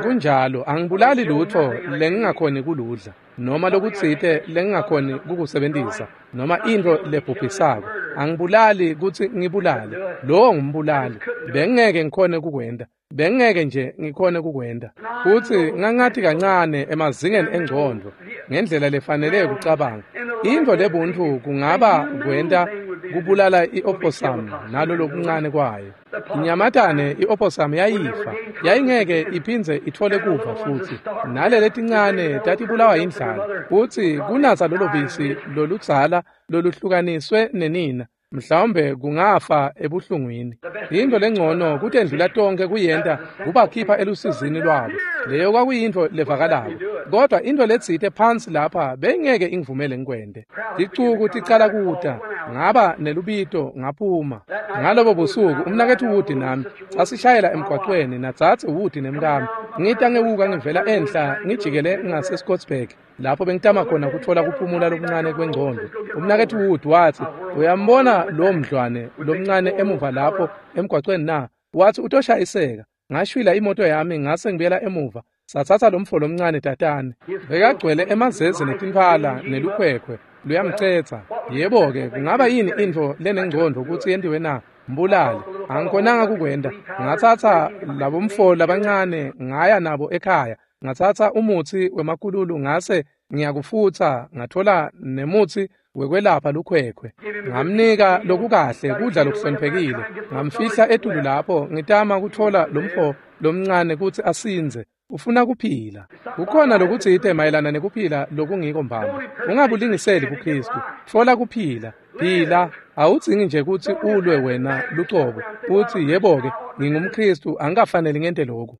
Kunjalo, angibulali lutho lengingakhoni kuludla noma lokutsite lengingakhoni kukusebentisa noma intfo lebhubhisako. Angibulali kutsi ngibulale. Lowo ngumbulali. Bengeke ngikhone kukwenta. Bengeke nje ngikhone kukwenta. Futsi ngangathi kancane emazingeni engcondvo ngendlela lefanele kucabanga. Intfo lebuntfu kungaba kwenta kubulala i-opossum nalo lokuncane kwayo. Inyamatane i-opossum yayifa, yayingeke iphindze itfole kuva futsi. Nalele letincane tatibulawa indlala. Futsi kunatsa lolo bisi loludzala loluhlukaniswe nenina, mhlawumbe kungafa ebuhlungwini. Intfo lengcono kutendlula tonke kuyenta kubakhipha elusizini lwabo. Leyo kwakuyintfo levakalako. Kodwa intfo letsite phansi lapha bengeke ingivumele ngikwente. Ticuku ticala kuta, ngaba nelubito ngaphuma. Ngalobo busuku umnaketfu Wood nami sasishayela emgwaqweni natsatse Wood nemkami. Ngita ngewuka ngivela enhla ngijikele ngase Scottsburg lapho bengitama khona kutfola kuphumula lokuncane kwengcondvo. Umnaketfu Wood wathi, uyambona lo mdlwane lomncane emuva lapho emgwaqweni na? Wathi utoshayiseka. Ngashwila imoto yami ngase ngibuyela emuva. Satsatsa lomfo lomncane tatane. Bekagcwele emazeze netintfwala nelukhwekhwe. Luyamcetsa. Yebo-ke, kungaba yini intfo lenengcondvo kutsi yentiwe na? Mbulale. Angikhonanga kukwenta. Ngatsatsa labomfo labancane ngaya nabo ekhaya. Ngatsatsa umutsi wemakululu ngase ngiyakufutsa, ngathola nemutsi wekwelapha lukhwekhwe. Ngamnika lokukahle kudla lokuhloniphekile. Ngamfihla etulu lapho ngitama kutfola lomfo lomncane kutsi asindze. Ufuna kuphila. Kukhona lokutsite mayelana nekuphila lokungiko mbamba. Ungabulingiseli kuKristu. Tfola kuphila. Phila. Awudzingi nje kutsi ulwe wena lucobo. Utsi yebo-ke, ngingumKristu, angikafaneli ngente lokhu.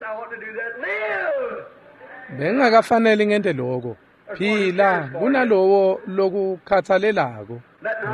Bengingakafaneli ngente lokho. Phila kunalowo lokukhathalelako.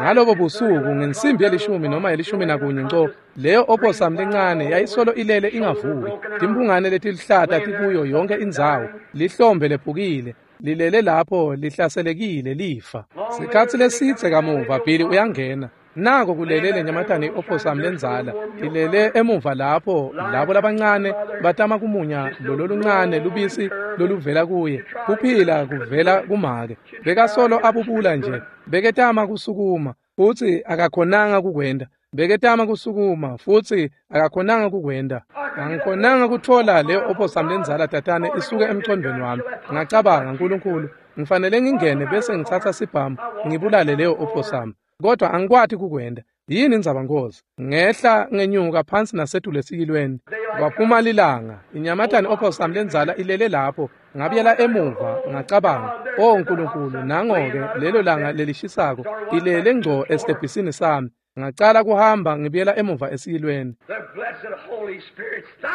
Ngalobo busuku ngensimbi yelishumi noma 11 nco, leyo opossum lencane yayisolo ilele ingavuki. Timphungane letiluhlata tikuyo yonke indzawo, lihlombe lephukile, lilele lapho lihlaselekile lifa. Sikhatsi lesidze kamuva Billy uyangena. Nako kulele lenyamatane i-opossum lendzala ilele emuva lapho labo labancane batama kumunya lolo luncane lubisi loluvela kuye. Kuphila kuvela kumake. Bekasolo abubula nje, beketama kusukuma futsi akakhonanga kukwenta. Beketama kusukuma futsi akakhonanga kukwenta. Angikhonanga kutfola leyo opossum lendzala tatane isuke emcondvweni wami. Ngacabanga, Nkulunkulu, ngifanele ngingene bese ngitsatsa sibhamu ngibulale leyo opossum. Kodwa angikwati kukwenta. Yini indzaba Nkosi? Ngehla ngenyuka phansi nasetulu esiyilweni. Kwaphuma lilanga. Inyamatane opossum lendzala ilele lapho. Ngabuyela emuva ngacabanga, "Oh Nkulunkulu, nango-ke lelo langa lelishisako ilele ngco esitebhisini sami." Ngacala kuhamba ngibuyela emuva esiyilweni.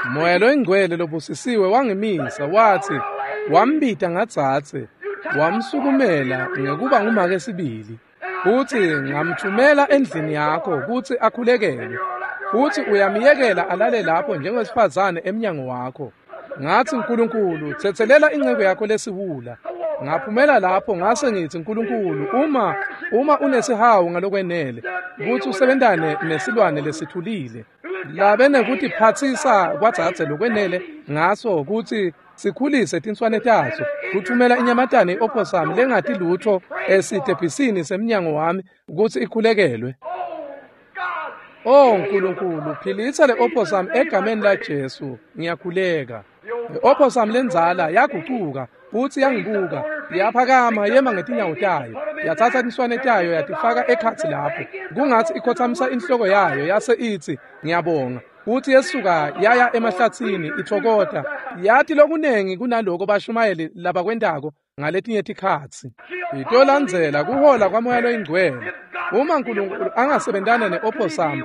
Moya loyingcwele lobusisiwe wangimisa wathi, wambita ngadzadze, wamsukumela ngekuba ngumake sibili. Futsi ngamthumela endlini yakho kutsi akhulekele. Futsi uyamyekela alale lapho njengowesifazane emnyango wakho. Ngathi, Nkulunkulu, tsetselela inceku yakho lesiwula. Ngaphumela lapho ngase ngithi, Nkulunkulu, uma unesihawu ngalokwenele kutsi usebentane nesilwane lesithulile, labe nekutiphatsisa kwadzadze lokwenele ngaso kutsi sikhulise tinswane taso, kuthumela inyamatane i-opossum lengati lutfo esitebhisini semnyango wami kutsi ikhulekelwe. Oh Nkulunkulu, philisa le opossum egameni laJesu, ngiyakhuleka. I-opossum lendzala yagucuka futsi yangibuka, yaphakama yema ngetinyawo tayo, yatsatsa tinswane tayo yatifaka ekhatsi lapho, kungatsi ikhotsamisa inhloko yayo yase itsi, ngiyabonga. Futsi yesuka yaya emahlatsini ithokota, yati lokunengi kunaloko bashumayeli labakwentako ngaletinye tikhatsi. Itolandzela kuhola kwaMoya loyingcwele. Uma Nkulunkulu angasebentana ne-opossum,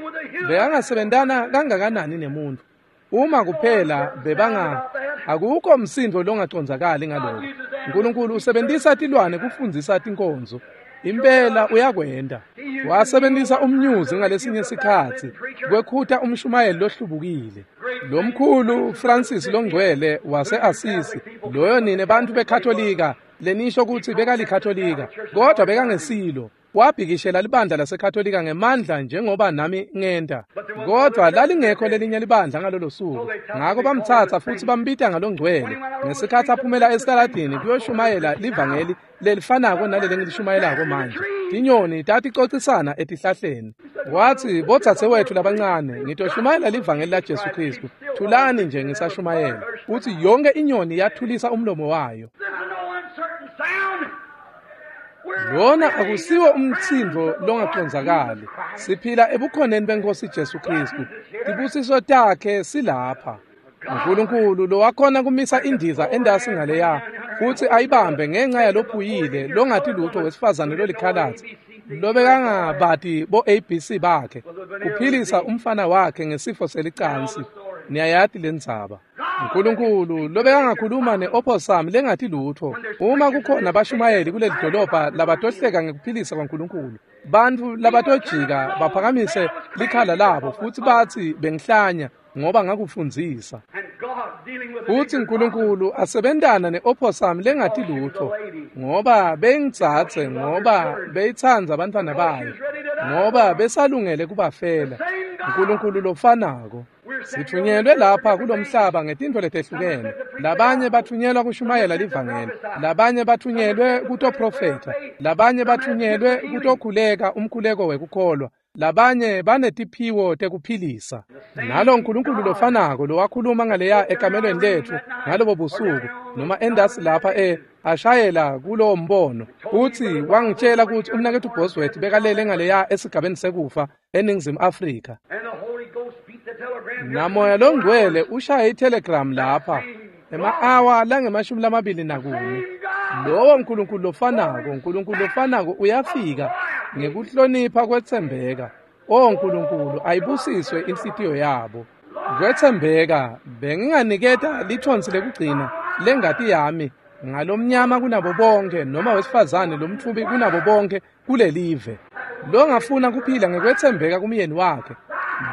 bekangasebentana kangakanani nemuntfu? Uma kuphela bebanga, akukho msindvo longacondzakali ngaloko. Nkulunkulu usebentisa tilwane kufundzisa tinkonzo. Impela uyakwenta. Wasebentisa umnyuzi ngalesinye sikhatsi kwekhuta umshumayeli lohlubukile. Lomkhulu Francis longcwele wase-Assisi, loyo nine bantfu beKatolika lenisho kutsi bekalikatolika, kodwa bekangesilo. Wabhikishela libandla laseKatolika ngemandla njengoba nami ngenta. Kodwa lalingekho lelinye libandla ngalolo suku. Ngako bamtsatsa futsi bambita ngalongcwele. Ngesikhatsi aphumela esitaladini kuyoshumayela livangeli lelifanako naleli ngilishumayelako manje. Tinyoni taticocisana etihlahleni. Watsi, bodzadzewethu labancane, ngitoshumayela livangeli laJesu Kristu. Thulani nje ngisashumayela. Utsi yonke inyoni yathulisa umlomo wayo. Lona akusiwo umtsindvo longacondzakali. Siphila ebukhoneni benkosi Jesu Kristu. Tibusiso takhe silapha. Nkulunkulu lowakhona kumisa indiza endasi ngaleya futsi ayibambe ngenxa yalophuyile longati lutho wesifazane lolikhalatsi lobekangabati bo ABC bakhe kuphilisa umfana wakhe ngesifo selicansi. Niyayati lendzaba. Nkulunkulu lobekangakhuluma ne-opossum lengati lutho. Uma kukhona bashumayeli kuleli dolobha labatohleka ngekuphilisa kwaNkulunkulu, bantfu labatojika baphakamise likhala labo futsi batsi bengihlanya ngoba ngakufundzisa. Futsi Nkulunkulu asebentana ne-opossum lengati lutho ngoba beyingitsatse, ngoba beyitsandza bantfwana bayo, ngoba besalungele kubafela. Nkulunkulu lofanako. Sitfunyelwe lapha kulomhlaba ngetintfo letehlukene. Labanye batfunyelwa kushumayela livangeli, labanye batfunyelwe kutoprofetha, labanye batfunyelwe kutokhuleka umkhuleko wekukholwa, labanye banetiphiwo tekuphilisa. Nalo Nkulunkulu lofanako lowakhuluma ngaleya ekamelweni letfu ngalobo busuku noma endasi lapha ashayela kulowo mbono, futsi wangitshela kutsi umnaketfu Bosworth bekalele ngaleya esigabeni sekufa eNingizimu Afrika. Namoya longcwele ushaye itelegram lapha ema-awa lange-24. Lowo Nkulunkulu lofanako, Nkulunkulu lofanako uyafika ngekuhlonipha kwetsembeka. O Nkulunkulu, ayibusiswe inhlitiyo yabo. Kwetsembeka, benginganiketa lithonsi lekugcina lengati yami ngalomnyama kunabo bonke noma wesifazane lomtfubi kunabo bonke kulelive. Longafuna kuphila ngekwetsembeka kumyeni wakhe,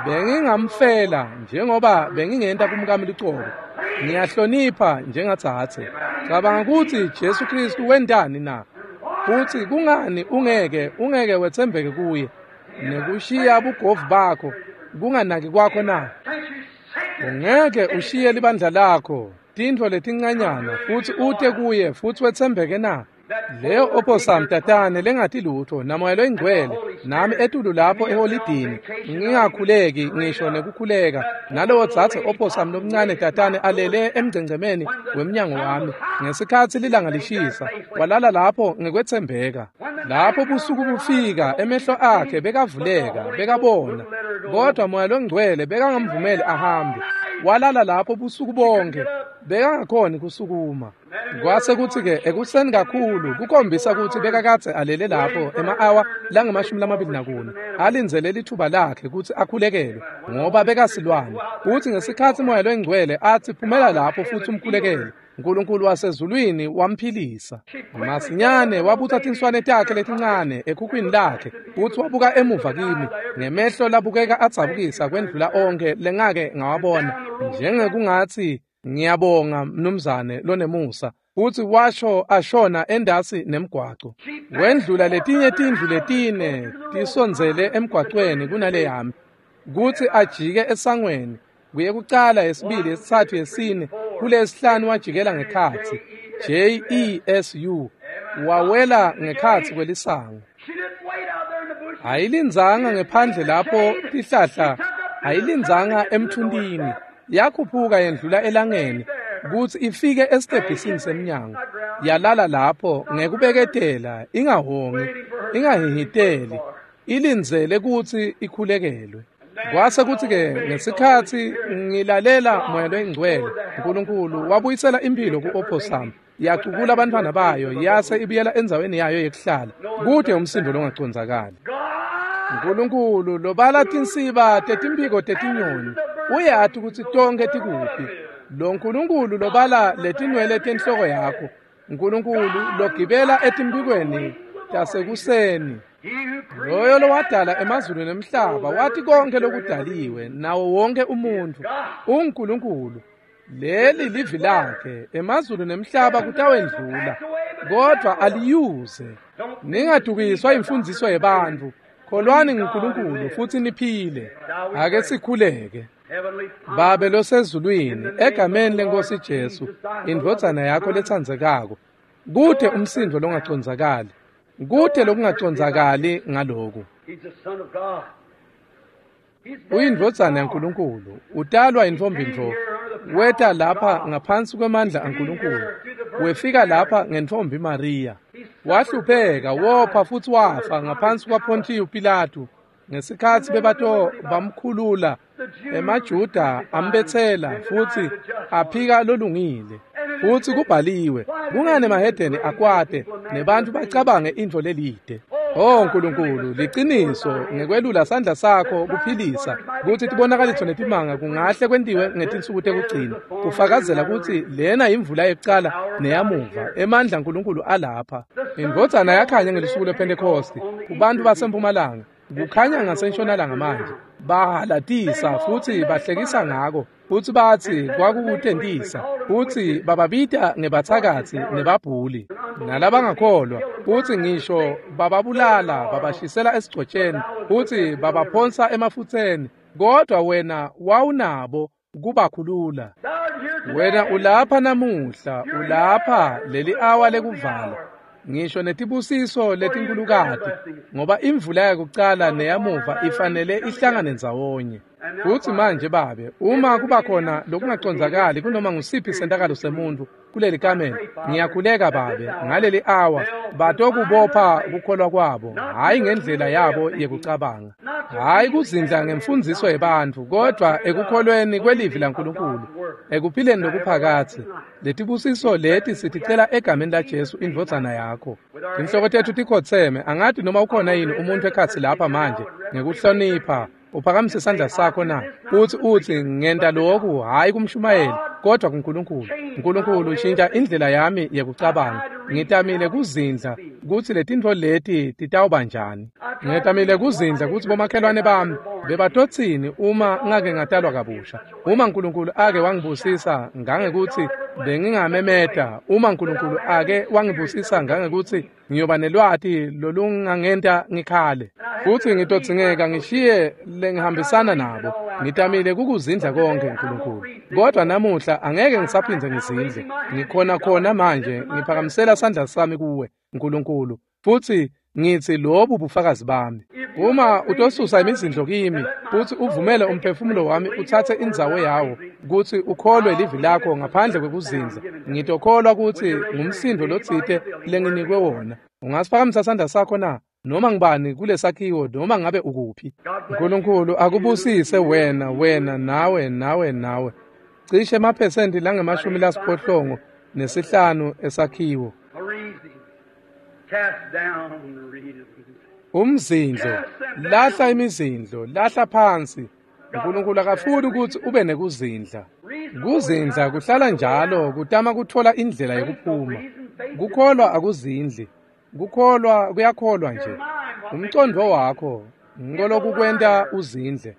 bengingamfela njengoba bengingenta kumkami lucobo. Ngiyahlonipha njengatsatse. Cabanga kutsi Jesu Kristu wentani na? Futsi kungani ungeke wetsembeke kuye nekushiya bugovu bakho kunganaki kwakho na? Ungeke ushiye libandla lakho, tintfo letincanyana, futsi ute kuye futsi wetsembeke na? Leyo opossum tatane lengati lutho namoya loyingcwele nami etulu lapho eholidini ngingakhuleki ngisho nekukhuleka, nalowo dzadze opossum lomncane tatane alele emgcengcemeni wemnyango wami ngesikhatsi lilanga lishisa, walala lapho ngekwetsembeka. Lapho busuku bufika emehlo akhe bekavuleka bekabona, kodwa moya longcwele bekangamvumeli ahambe. Walala lapho busuku bonke, bekangakhoni kusukuma. Kwase kutsi-ke ekuseni kakhulu kukhombisa kutsi bekakadze alele lapho ema-awa lange-24 alindzele lithuba lakhe kutsi akhulekelwe ngoba bekasilwane. Kutsi ngesikhatsi moya longcwele atsi phumela lapho futsi umkhulekele, Nkulunkulu wasezulwini wamphilisa. Masinyane wabutsa tinswane takhe letincane ekhukhwini lakhe futsi wabuka emuva kimi ngemehlo labukeka adzabukisa kwendlula onkhe lengake ngawabona, njengekungatsi ngiyabonga mnumzane lonemusa. Futsi washo ashona endasi nemgwaco. Wendlula letinye tindlu letine tisondzele emgwacweni kunale yami, kutsi ajike esangweni kuye kucala, yesibili, yesitsatfu, yesine, kulesihlanu wajikela ngekhatsi Jesu wawela ngekhatsi kwelisango. Ayilindzanga ngephandle lapho tihlahla, ayilindzanga emthuntini, yakhuphuka yendlula elangeni kutsi ifike esitebhisini semnyango. Yalala lapho ngekubeketela, ingahongi, ingahihiteli, ilindzele kutsi ikhulekelwe. Kwase kutsi-ke ngesikhatsi ngilalela moya loyingcwele, Nkulunkulu wabuyisela imphilo ku-opossum, yacukula abantwana bayo yase ibuyela endzaweni yayo yekuhlala kude umsindo longacondzakali. Nkulunkulu lobala tinsiba tetimphiko tetinyoni uyati kutsi tonkhe tikuphi. Lo Nkulunkulu lobala letinwele tenhloko yakho, Nkulunkulu logibela etimphikweni tasekuseni, loyo lowadala emazulu nemhlaba wathi konke lokudaliwe nawo wonke umuntfu uNkulunkulu. Leli livi lakhe, emazulu nemhlaba kutawendlula kodwa aliyuze. Ningadukiswa imfundiso yebantfu, kholwani nguNkulunkulu futsi niphile. Ake sikhuleke. Babe losezulwini, egameni lenkosi Jesu, indvodzana yakho letsandzekako, kude umsindo longacondzakali, kude lokungacondzakali ngaloku. Uyindvodzana yaNkulunkulu, utalwa intfombi ntfo, weta lapha ngaphansi kwemandla aNkulunkulu, wefika lapha ngentfombi Mariya. Wahlupheka, wopha futsi wafa ngaphansi kwaPontiyu Pilatu ngesikhatsi bebato bamkhulula. EmaJuda ambetsela futsi aphika lolungile. Futsi kubhaliwe, kungani emahedeni akwate nebantfu bacabange intfo lelide? Oh Nkulunkulu, liciniso ngekwelula sandla sakho kuphilisa kutsi tibonakaliso netimanga kungahle kwentiwe ngetinsuku tekugcina, kufakazela kutsi lena imvula yekucala neyamuva, emandla aNkulunkulu alapha. Indvodzana yakhanya ngelusuku lwePhentekhosti kubantu basempumalanga, kukhanya ngasentshonalanga manje. Bahalatisa futsi bahlekisa ngako, futsi batsi kwakukutentisa, futsi bababita ngebathakathi nebabhuli nalabangakholwa, futsi ngisho bababulala, babashisela esigcotsheni, futsi babaphonsa emafutseni. Kodwa wena wawunabo kubakhulula. Wena ulapha namuhla, ulapha leli awa lekuvala. Ngisho netibusiso letinkulukati, ngoba imvula yakucala neyamuva ifanele ihlangane ndzawonye. Futsi manje Babe, uma kuba khona lokungacondzakali kunoma ngusiphi sentakalo semuntfu kuleli kamelo, ngiyakhuleka Babe, ngaleli awa batokubopha kukholwa kwabo, hhayi ngendlela yabo yekucabanga, hhayi kuzindla ngemfundziso yebantfu, kodvwa ekukholweni kwelivi laNkulunkulu, ekuphileni lokuphakadze. Letibusiso leti siticela egameni laJesu indvodzana yakho. Tinhloko tetfu tikhotseme, angati noma ukhona yini umuntfu ekhatsi lapha manje ngekuhlonipha. Uphakamise isandla sakho na? Uthi ngenta lokhu hhayi kumshumayeli kodwa kuNkulunkulu. Nkulunkulu shintsha indlela yami yekucabanga. Ngitamile kuzindla kutsi letintfo leti titawuba njani. Ngitamile kuzindla kutsi bomakhelwane bami bebatotsini uma ngake ngatalwa kabusha. Uma Nkulunkulu ake wangibusisa ngangekuthi bengingamemeta, uma Nkulunkulu ake wangibusisa ngangekuthi ngiyoba nelwati lolungangenta ngikhale. Futsi ngitodzingeka ngishiye lengihambisana nabo. Ngitamile kukuzindla konke Nkulunkulu. Kodwa namuhla angeke ngisaphindze ngizindle. Ngikhona khona manje ngiphakamisela sandla sami kuwe Nkulunkulu. Futsi ngithi lobu bufakazi bami. Uma utosusa imizindlo kimi futhi uvumele umphefumulo wami uthathe indzawo yawo kutsi ukholwe livi lakho ngaphandle kwekuzindla, ngitokholwa kutsi ngumsindo lotsite lenginikwe wona. Ungasiphakamisa sandla sakho na? Noma ngibani kulesakhiwo, noma ngabe ukuphi. Nkulunkulu akubusise wena, wena, nawe, nawe, nawe. Cishe emaphesenti langama-85 esakhiwo. Umzindlo, lahla imizindlo, lahla phansi. Nkulunkulu akafuni ukuthi ube nekuzindla. Kuzindla kuhlala njalo kutama kutfola indlela yekuphuma. Kukholwa akuzindli. Kukholwa kuyakholwa nje. Umcondvo wakho ngolokukwenta uzindle.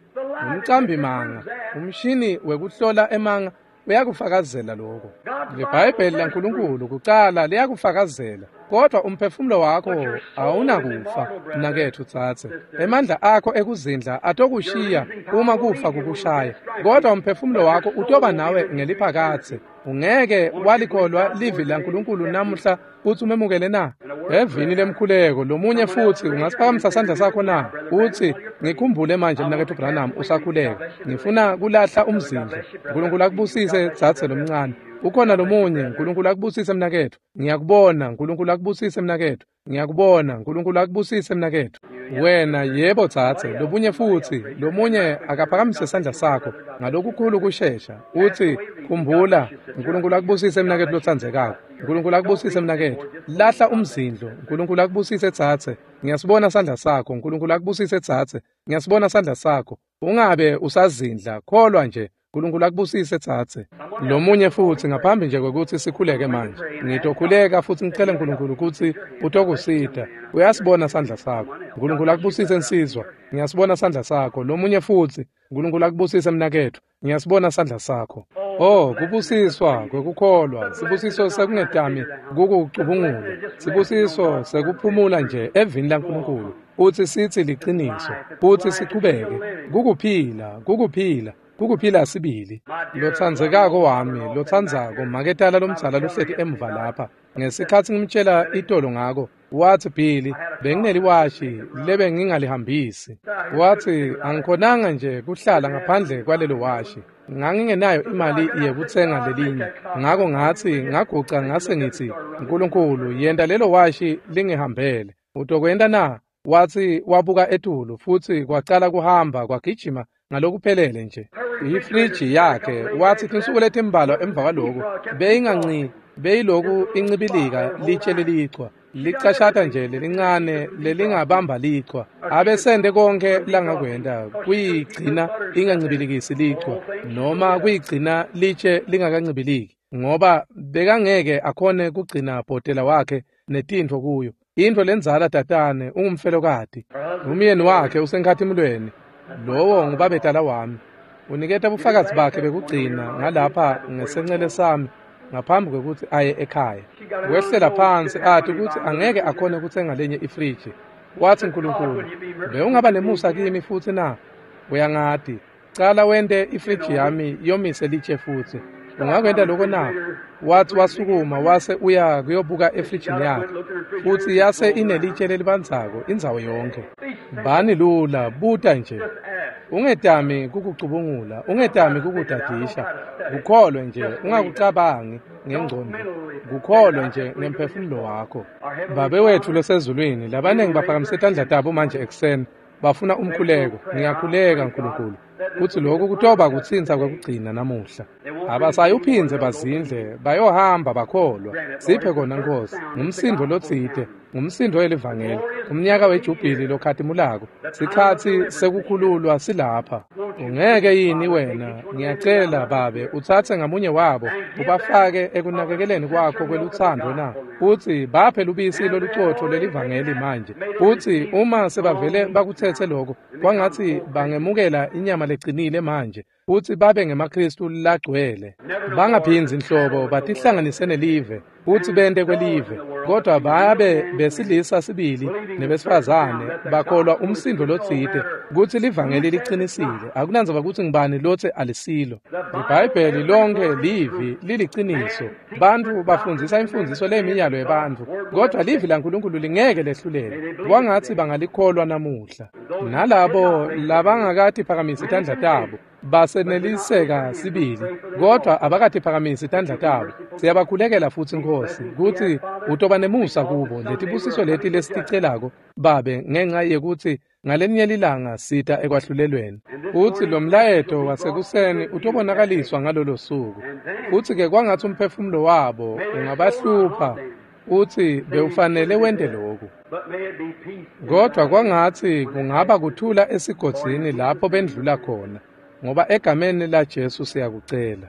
Umcambi manga, umshini wekuhlola emanga uyakufakazela lokho. LiBhayibheli laNkulunkulu kucala liyakufakazela. Kodwa umphefumulo wakho awunakufa, mnaketfu tsatse. Emandla akho ekuzindla atokushiya uma kufa kukushaya. Kodwa umphefumulo wakho utoba nawe ngeliphakadze. Ungeke walikholwa livi laNkulunkulu namuhla uthi umemukele na? Evini lemkhuleko lomunye futhi ungasiphakamisa sandla sakho na? Uthi ngikhumbule manje mnaketfu Branham usakhuleka. Ngifuna kulahla umzindlo. Nkulunkulu akubusise tsatse lomncane. Ukhona lomunye, Nkulunkulu akubusise mnaketfu. Ngiyakubona, Nkulunkulu akubusise mnaketfu. Ngiyakubona, Nkulunkulu akubusise mnaketfu. Wena yebo tsatse, lobunye futsi, lomunye akaphakamise sandla sakho ngalokukhulu kushesha. Uthi khumbula, Nkulunkulu akubusise mnaketfu lotsandzekako. Nkulunkulu akubusise mnaketfu. Lahla umzindlo, Nkulunkulu akubusise tsatse. Ngiyasibona sandla sakho, Nkulunkulu akubusise tsatse. Ngiyasibona sandla sakho. Ungabe usazindla, kholwa nje. Nkulunkulu akubusise tsatse. Lomunye futsi ngaphambi nje kwekutsi sikhuleke manje. Ngitokhuleka futsi ngicele Nkulunkulu kutsi utokusita. Uyasibona sandla sakho. Nkulunkulu akubusise nsizwa. Ngiyasibona sandla sakho. Lomunye futsi, Nkulunkulu akubusise mnaketfu. Ngiyasibona sandla sakho. Oh, kubusiswa kwekukholwa, sibusiso sekungetami kukucubungula, sibusiso sekuphumula nje evini laNkulunkulu. Uthi sithi liqiniso, uthi sichubeke. Kukuphila, kukuphila. Kukuphila sibili. Lotsandzekako wami, lotsandzako, maketala lomdzala lohleti emuva lapha. Ngesikhatsi ngimtshela itolo ngako, wathi Billy, bengineliwashi lebe ngingalihambisi. Wathi angikhonanga nje kuhlala ngaphandle kwalelo washi. Ngangingenayo imali yekutsenga lelinye. Ngako ngathi ngaguca ngase ngithi, Nkulunkulu, yenta lelo washi lingihambele. Utokwenta na? Wathi wabuka etulu futsi kwacala kuhamba kwagijima ngalokuphelele nje. Ifriji yakhe wathi tinsuku letimbalwa emva kwaloko beyinganci beyiloku incibilika litshe lelichwa licashata nje lelincane lelingabamba lichwa abesende konke langakwenta kuyigcina ingancibilikisi lichwa noma kuyigcina litshe lingakancibiliki ngoba bekangeke akhone kugcina bhotela wakhe netintfo kuyo. Intfo lendzala tatane ungumfelokati. Umyeni wakhe usenkhatimulweni. Lowo ngubabetala wami. Uniketa bufakazi bakhe bekugcina ngalapha ngesencele sami ngaphambi kwekutsi aye ekhaya. Wehlela phansi athi kutsi angeke akhone kutsenga lenye ifriji. Wathi Nkulunkulu, bewungaba nemusa kimi futsi na? Uyangati. Cala wente ifriji yami yomise litshe futsi. Ungakwenta lokho na? Wathi wasukuma wase uya kuyobuka efrijini yakhe, futsi yase inelitshe lelibandzako indzawo yonke. Bani lula, buta nje. Ungetami kukucubungula, ungetami kukudadisha. Kukholwe nje, ungakucabangi ngengqondo. Kukholwe nje ngemphefumulo wakho. Babe wethu losezulwini, labaningi baphakamise tandla tabo manje ekuseni, bafuna umkhuleko. Ngiyakhuleka Nkulunkulu kutsi lokhu kutoba kutsintsa kwekugcina namuhla. Abasayuphindze bazindle, bayohamba bakholwa. Siphe kona Nkosi, ngumsindo lotsite, ngumsindo welivangeli, umnyaka wejubhili lokhatimulako, sikhatsi sekukhululwa silapha. Ungeke yini wena, ngiyacela Babe, utsatse ngamunye wabo, ubafake ekunakekeleni kwakho kwelutsandvo na? Utsi baphe lubisi lolucotfo lelivangeli manje. Utsi uma sebavele bakutsetse lokho, kwangatsi bangemukela inyama lecinile manje, futsi babe ngemaKristu lagcwele. Bangaphindzi nhlobo batihlanganise nelive, futsi bente kwelive, kodwa babe besilisa sibili nebesifazane bakholwa umsindo lotsite kutsi livangeli liqinisile. Akunandzaba kutsi ngibani lotsi alisilo. IBhayibheli lonke livi liliciniso. Bantfu bafundzisa imfundziso leyiminyalo yebantfu, kodwa livi laNkulunkulu lingeke lehluleke. Kwangatsi bangalikholwa namuhla. Nalabo labangakatiphakamisi tandla tabo baseneliseka sibili, kodwa abakatiphakamisi tandla tabo. Siyabakhulekela futsi Nkosi kutsi utoba nemusa kubo. Letibusiso leti lesiticelako Babe, ngenxa yekutsi ngalenye lilanga sita ekwahlulelweni. Futsi lo mlayeto wasekuseni utobonakaliswa ngalolo suku. Futsi-ke kwangatsi umphefumulo wabo ungabahlupha utsi bewufanele wente lokhu. Kodwa kwangatsi kungaba kuthula esigodzini lapho bendlula khona, ngoba egameni laJesu siyakucela.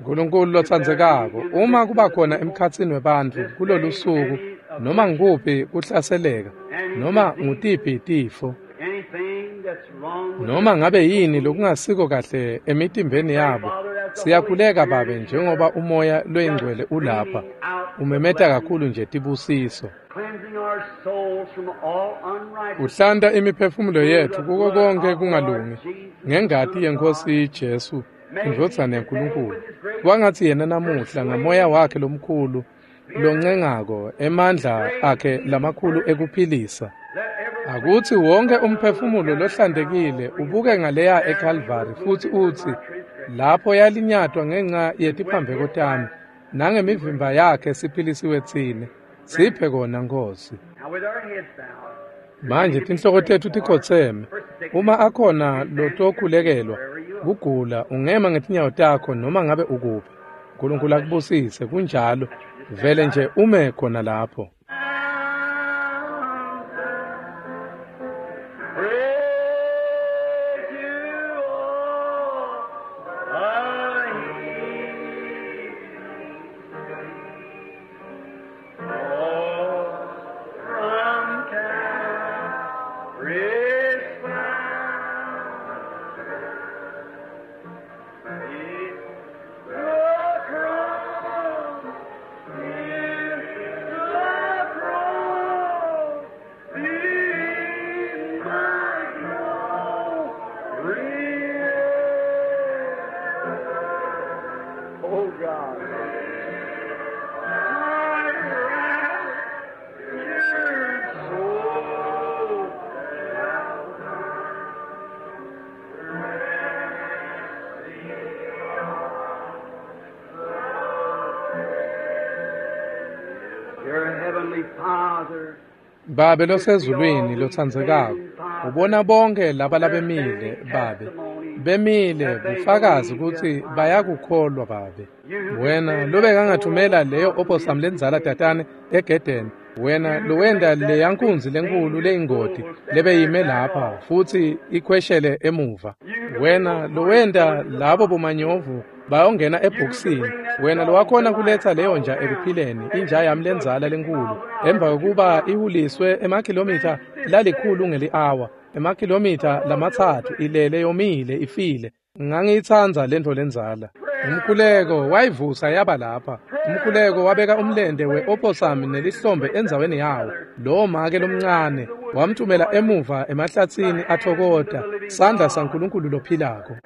Nkulunkulu lotsandzekako, uma kuba khona emkhatsini webantfu kulolu suku, noma ngikuphi kuhlaseleka, noma ngutiphi tifo, noma ngabe yini lokungasiko kahle emitimbeni yabo, siyakhuleka Babe, njengoba umoya loyingcwele ulapha, umemeta kakhulu nje tibusiso. Uhlanta imiphefumulo yetfu kuko konke kungalungi ngengati yeNkosi Jesu, indvodzana yaNkulunkulu. Kwangatsi yena namuhla ngamoya wakhe lomkhulu loncengako, emandla akhe lamakhulu ekuphilisa. Akutsi wonke umphefumulo lohlantekile ubuke ngaleya eKalvari futsi utsi, lapho yalinyatwa ngenxa yetiphambeko tami, nangemivimba yakhe siphilisiwe tsine. Siphe kona Nkosi. Manje tinhloko tetfu tikhotseme. Uma akhona lotokhulekelwa kugula, ungema ngetinyawo takho noma ngabe ukuphi. Nkulunkulu akubusise. Kunjalo, vele nje ume khona lapho. Oh God. Babe losezulwini lotsandzekako, ubona bonke laba labemile, Babe. Bemile bufakazi kutsi bayakukholwa, Babe. Wena lobekangathumela leyo opossum lendzala tatane egedeni, wena lowenta leya nkunzi lenkulu leyingoti lebeyime lapha futsi ikhweshele emuva. Wena lowenta labo bomanyovu bayongena ebhokisini, wena lowakhona kuletsa leyo nja ekuphileni, inja yami lendzala lenkulu, emva kokuba ihuliswe emakhilomitha lalikhulu ngeli-awa, emakhilomitha 3 ilele yomile ifile. Ngangiyitsandza lentfo lendzala. Umkhuleko wayivusa yaba lapha. Umkhuleko wabeka umlente we-opossum nelihlombe endzaweni yawo. Lowo make lomncane wamthumela emuva emahlatsini athokota, sandla saNkulunkulu lophilako.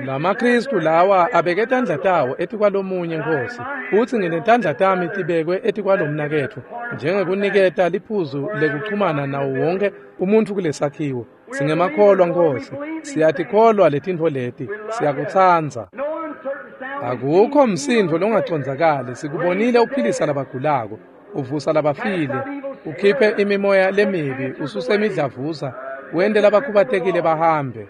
LamaKristu lawa abeke tandla tawo etikwalomunye, Nkosi, futsi nginetandla tami tibekwe etikwalomnaketfu, njengekuniketa liphuzu lekuchumana nawo wonke umuntfu kulesakhiwo. Singemakholwa, Nkosi, siyatikholwa letintfo leti, siyakutsandza. Akukho msindvo longacondzakali, sikubonile uphilisa labagulako, uvusa labafile, ukhiphe imimoya lemibi, ususe imidlavuza, wente labakhubatekile bahambe,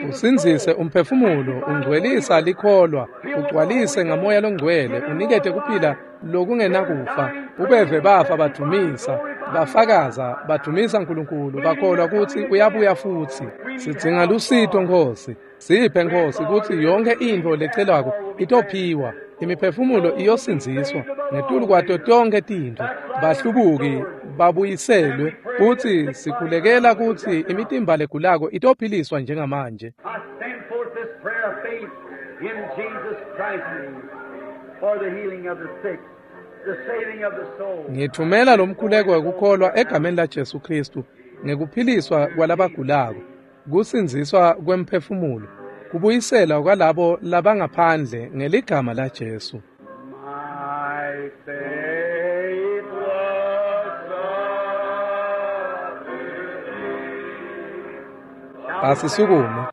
usindzise umphefumulo, ungcwelisa likholwa, ugcwalise ngamoya longcwele, unikete kuphila lokungenakufa. Ubeve bafa badumisa, bafakaza, badumisa Nkulunkulu, bakholwa kutsi uyabuya futsi. Sidzinga lusito, Nkosi. Siphe, Nkosi, kutsi yonke intfo lecelwako itophiwa, imiphefumulo iyosindziswa ngetulu kwato tonkhe tintfo, bahlubuki babuyiselwe, futsi sikhulekela kutsi imitimba legulako itophiliswa njengamanje. I send forth this prayer of faith in Jesus Christ's name for the healing of the sick, the saving of the soul. Ngithumela lo mkhuleko wekukholwa egameni laJesu Kristu ngekuphiliswa kwalabagulako, kusindziswa kwemphefumulo, kubuyiselwa kwalabo labangaphandle ngeligama laJesu. My faith was up to thee. Asisukume.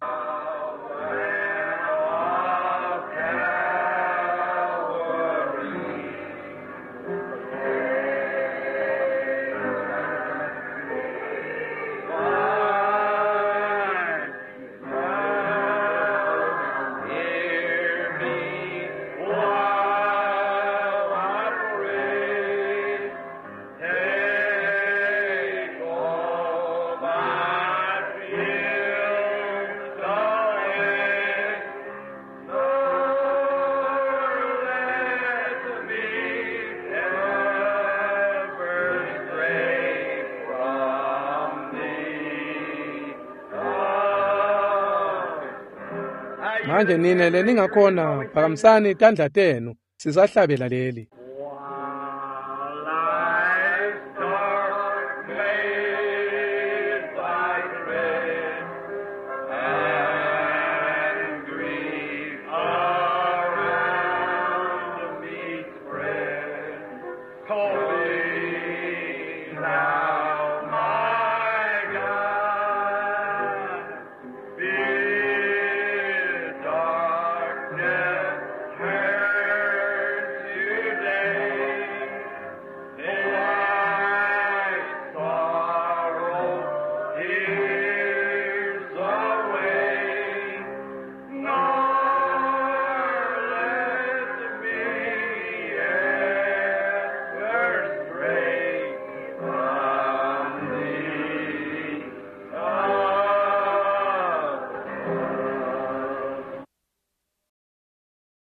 Hear me while I pray. Take all my fears away. Nor let me ever stray from thee. Manje nine leningakhona phakamisani tandla tenu sisahlabela leli.